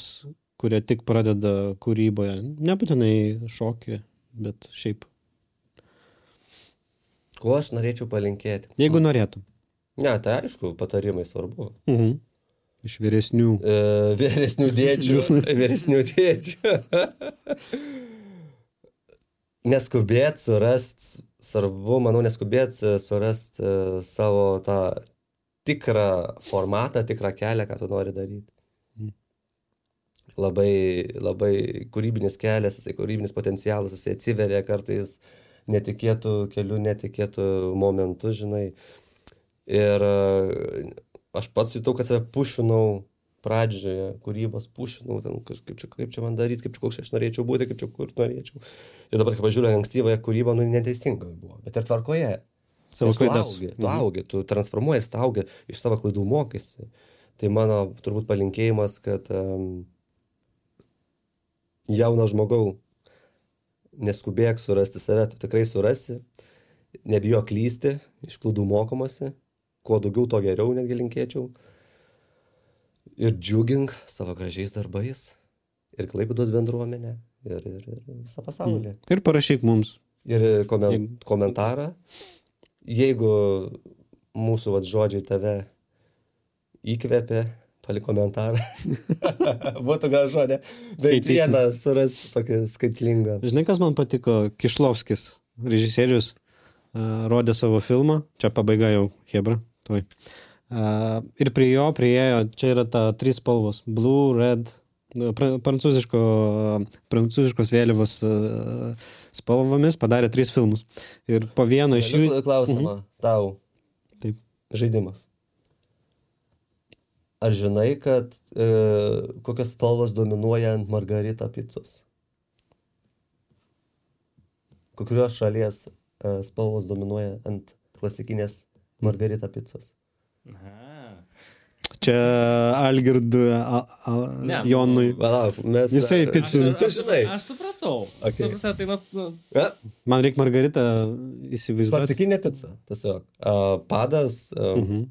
kurie tik pradeda kūryboje? Nebūtinai šokį, bet šiaip. Ko aš norėčiau palinkėti? Jeigu norėtum. Ne, tai aišku, patarimai svarbu. Mhm. Iš vyresnių. E, vyresnių dėdžių. vyresnių dėdžių. Neskubėt surast, svarbu, manau, neskubėt surast e, savo tą tikrą formatą, tikrą kelią, ką tu nori daryti. Mhm. Labai, labai kūrybinis kelias, jisai kūrybinis potencialas, jisai atsiveria kartais netikėtų kelių, netikėtų momentų, žinai. Ir e, aš pats jutau, kad save pušinau pradžioje, kūrybos pušinau, ten kažkaip čia, kaip čia man daryti, kaip čia koks aš norėčiau būti, kaip čia kur norėčiau. Ir dabar, kai pažiūrėjau, ankstyvąją kūrybą, nu, neteisinga buvo, bet ir tvarkoje. Savo Nes tu klaidas. augi, tu augi, tu transformuojasi, tu augi, iš savo klaidų mokaisi. Tai mano turbūt palinkėjimas, kad um, jauno žmogau, neskubėk surasti save, tu tikrai surasi, nebijok klysti, iš klaidų mokomasi, kuo daugiau, to geriau netgi linkėčiau. Ir džiugink savo gražiais darbais, ir Klaipėdos bendruomenę, ir, ir, ir visą pasaulį. Ir parašyk mums. Ir komen, Jeigu- komentarą, jeigu mūsų vat, žodžiai tave įkvėpė, palik komentarą. Būtų gražu, ne? Bet Skaitysim. vieną surasti tokį skaitlingą. Žinai, kas man patiko? Kišlovskis, režisierius, uh, rodė savo filmą, čia pabaiga jau, hebra, tuoj. Uh, ir prie jo prieėjo, čia yra ta trys spalvos, blue, red, pra, prancūziško, prancūziškos vėliavos uh, spalvomis padarė tris filmus. Ir po vieno iš jų... Galiu klausimą mhm. tau. Taip. Žaidimas. Ar žinai, kad e, kokios spalvos dominuoja ant Margarita picos? Kokios šalies e, spalvos dominuoja ant klasikinės Margarita picos? Aha. Čia Algirdui, a, a, Ne, Jonui. Palauk, mes... Jisai picų. Aš, Tu aš, žinai. aš supratau. Okay. Ta prasme, tai, na, nu, Ja? Man reikia Margaritą įsivaizduoti. Klasikinė pica, tiesiog. Uh, padas, uh, Mhm.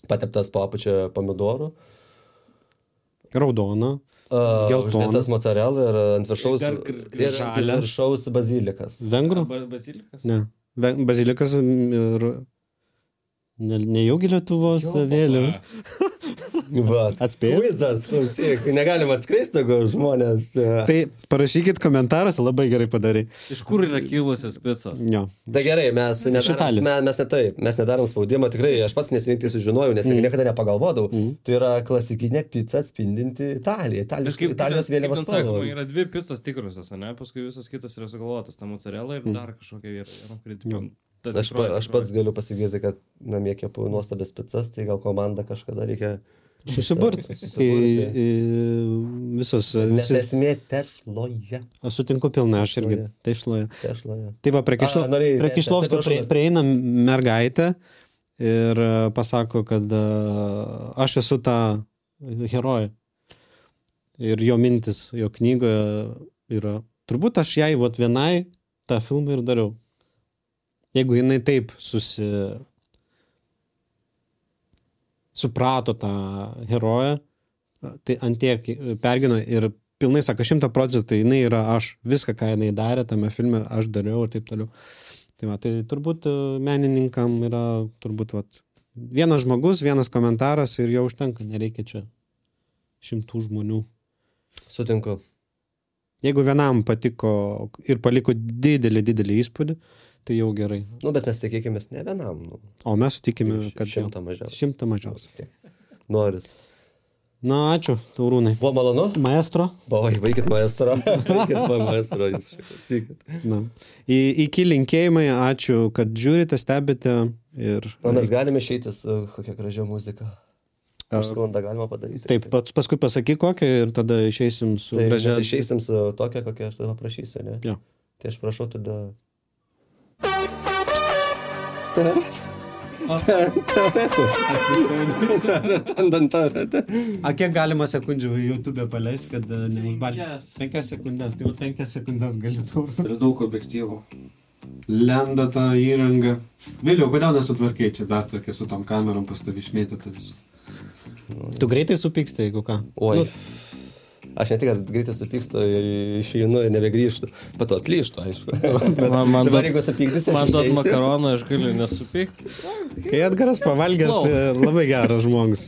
pateptas po apačia pomidorų, Raudona. uh, Geltona. uždėtas mozzarella ir ant viršaus, Dar gr- gr- ir ant žalia. viršaus bazilikas. Vengrų? ba- bazilikas. Ne. Ve- Bazilikas ir... Ne, nejaugi Lietuvos Jo, vėliava. papa. Va. Atspėjau? Kuizas, klausyk, negalima atskleisti, jeigu žmonės... uh, Tai parašykit komentaruose, labai gerai padarai. Iš kur yra kilusios picos? Jo. Tai gerai, mes nedarom, Italijos. mes, mes ne taip, mes nedarom spaudimą, tikrai aš pats nesininktai sužinojau, nes mm. niekada nepagalvodavau. Mm. Tai yra klasikinė pica atspindinti Italiją, Italijos, Kažkaip Italijos vėliavos ten sakoma, spalvos. yra dvi picos tikrusios, ne? Paskui visos kitos yra sugalvotos, ta mozzarella ir dar kažkokia yra, kuri... Jo. ta Aš, pa, tikroji- aš pats galiu pasakyti, kad namie kepu nuostabės picas, tai gal komanda kažkada reikia... Susiburti. Susiburti. I- i- Visos, Nes visi. esmė tešloje. Aš sutinku pilna, aš irgi. Tai išloja. Tešloje. Tai va, prie, Kišlo, A, norėjai- prie ne, Kišlovskio atsiprašau, prie, bet- prieina mergaitė ir e, pasako, kad e, aš esu ta herojė. Ir jo mintis, jo knygoje yra. Turbūt aš jai vat, vienai tą filmą ir dariau. Jeigu jinai taip susi... suprato tą heroję, tai antiek pergino ir pilnai sako, šimta procentų jinai yra aš. Viską, ką jinai darė tame filme, aš dariau ir taip toliau. Tai, va, tai turbūt e, menininkam yra turbūt vat, vienas žmogus, vienas komentaras ir jau užtenka, nereikia čia šimtų žmonių. Sutinku. Jeigu vienam patiko ir paliko didelį, didelį įspūdį, tai jau gerai. Nu, bet mes tikėkime ne vienam. Nu. O mes tikime, kad Šimtą mažiausiai. Šimtą mažiausiai. Noris. Na, ačiū, Taurūnai. Buvo malonu? Maestro. Bavai, vaikit maestro. Vaikit va maestro, jūs šiek Na. Į, iki linkėjimai, ačiū, kad žiūrite, stebite ir... Na, mes galime išeiti su kokia gražia muzika. Užsklandą galima padaryti. Taip, pats paskui pasakyk kokią ir tada išeisim su Tai gražia... mes išeisim su tokia, kokią aš tada prašysiu, ne? Jo. Tai aš prašau tada... A kiek galima sekundžių YouTube paleisti, kad uh, neužbalti? Penkias. Penkias sekundės. Tai va penkias sekundės gali tau. Turiu daug objektyvų. Lenda tą įrangą. Vėliau, kodėl nesutvarkiai čia dar tokia su tom kamerom pas tavį išmėtyti visų? Tu greitai supyksti, jeigu ką? Oi. Nu, Aš ne tik, kad greitai supykstu ir išeinu ir nebegrįžtu. Bet to atlyžtu, aišku. Bet Man- man dabar duot- jeigu supykdysi, Man aš duot išeisiu. makaroną, aš galiu nesupykti. kai Edgaras pavalgęs, Wow. e, labai geras žmogus.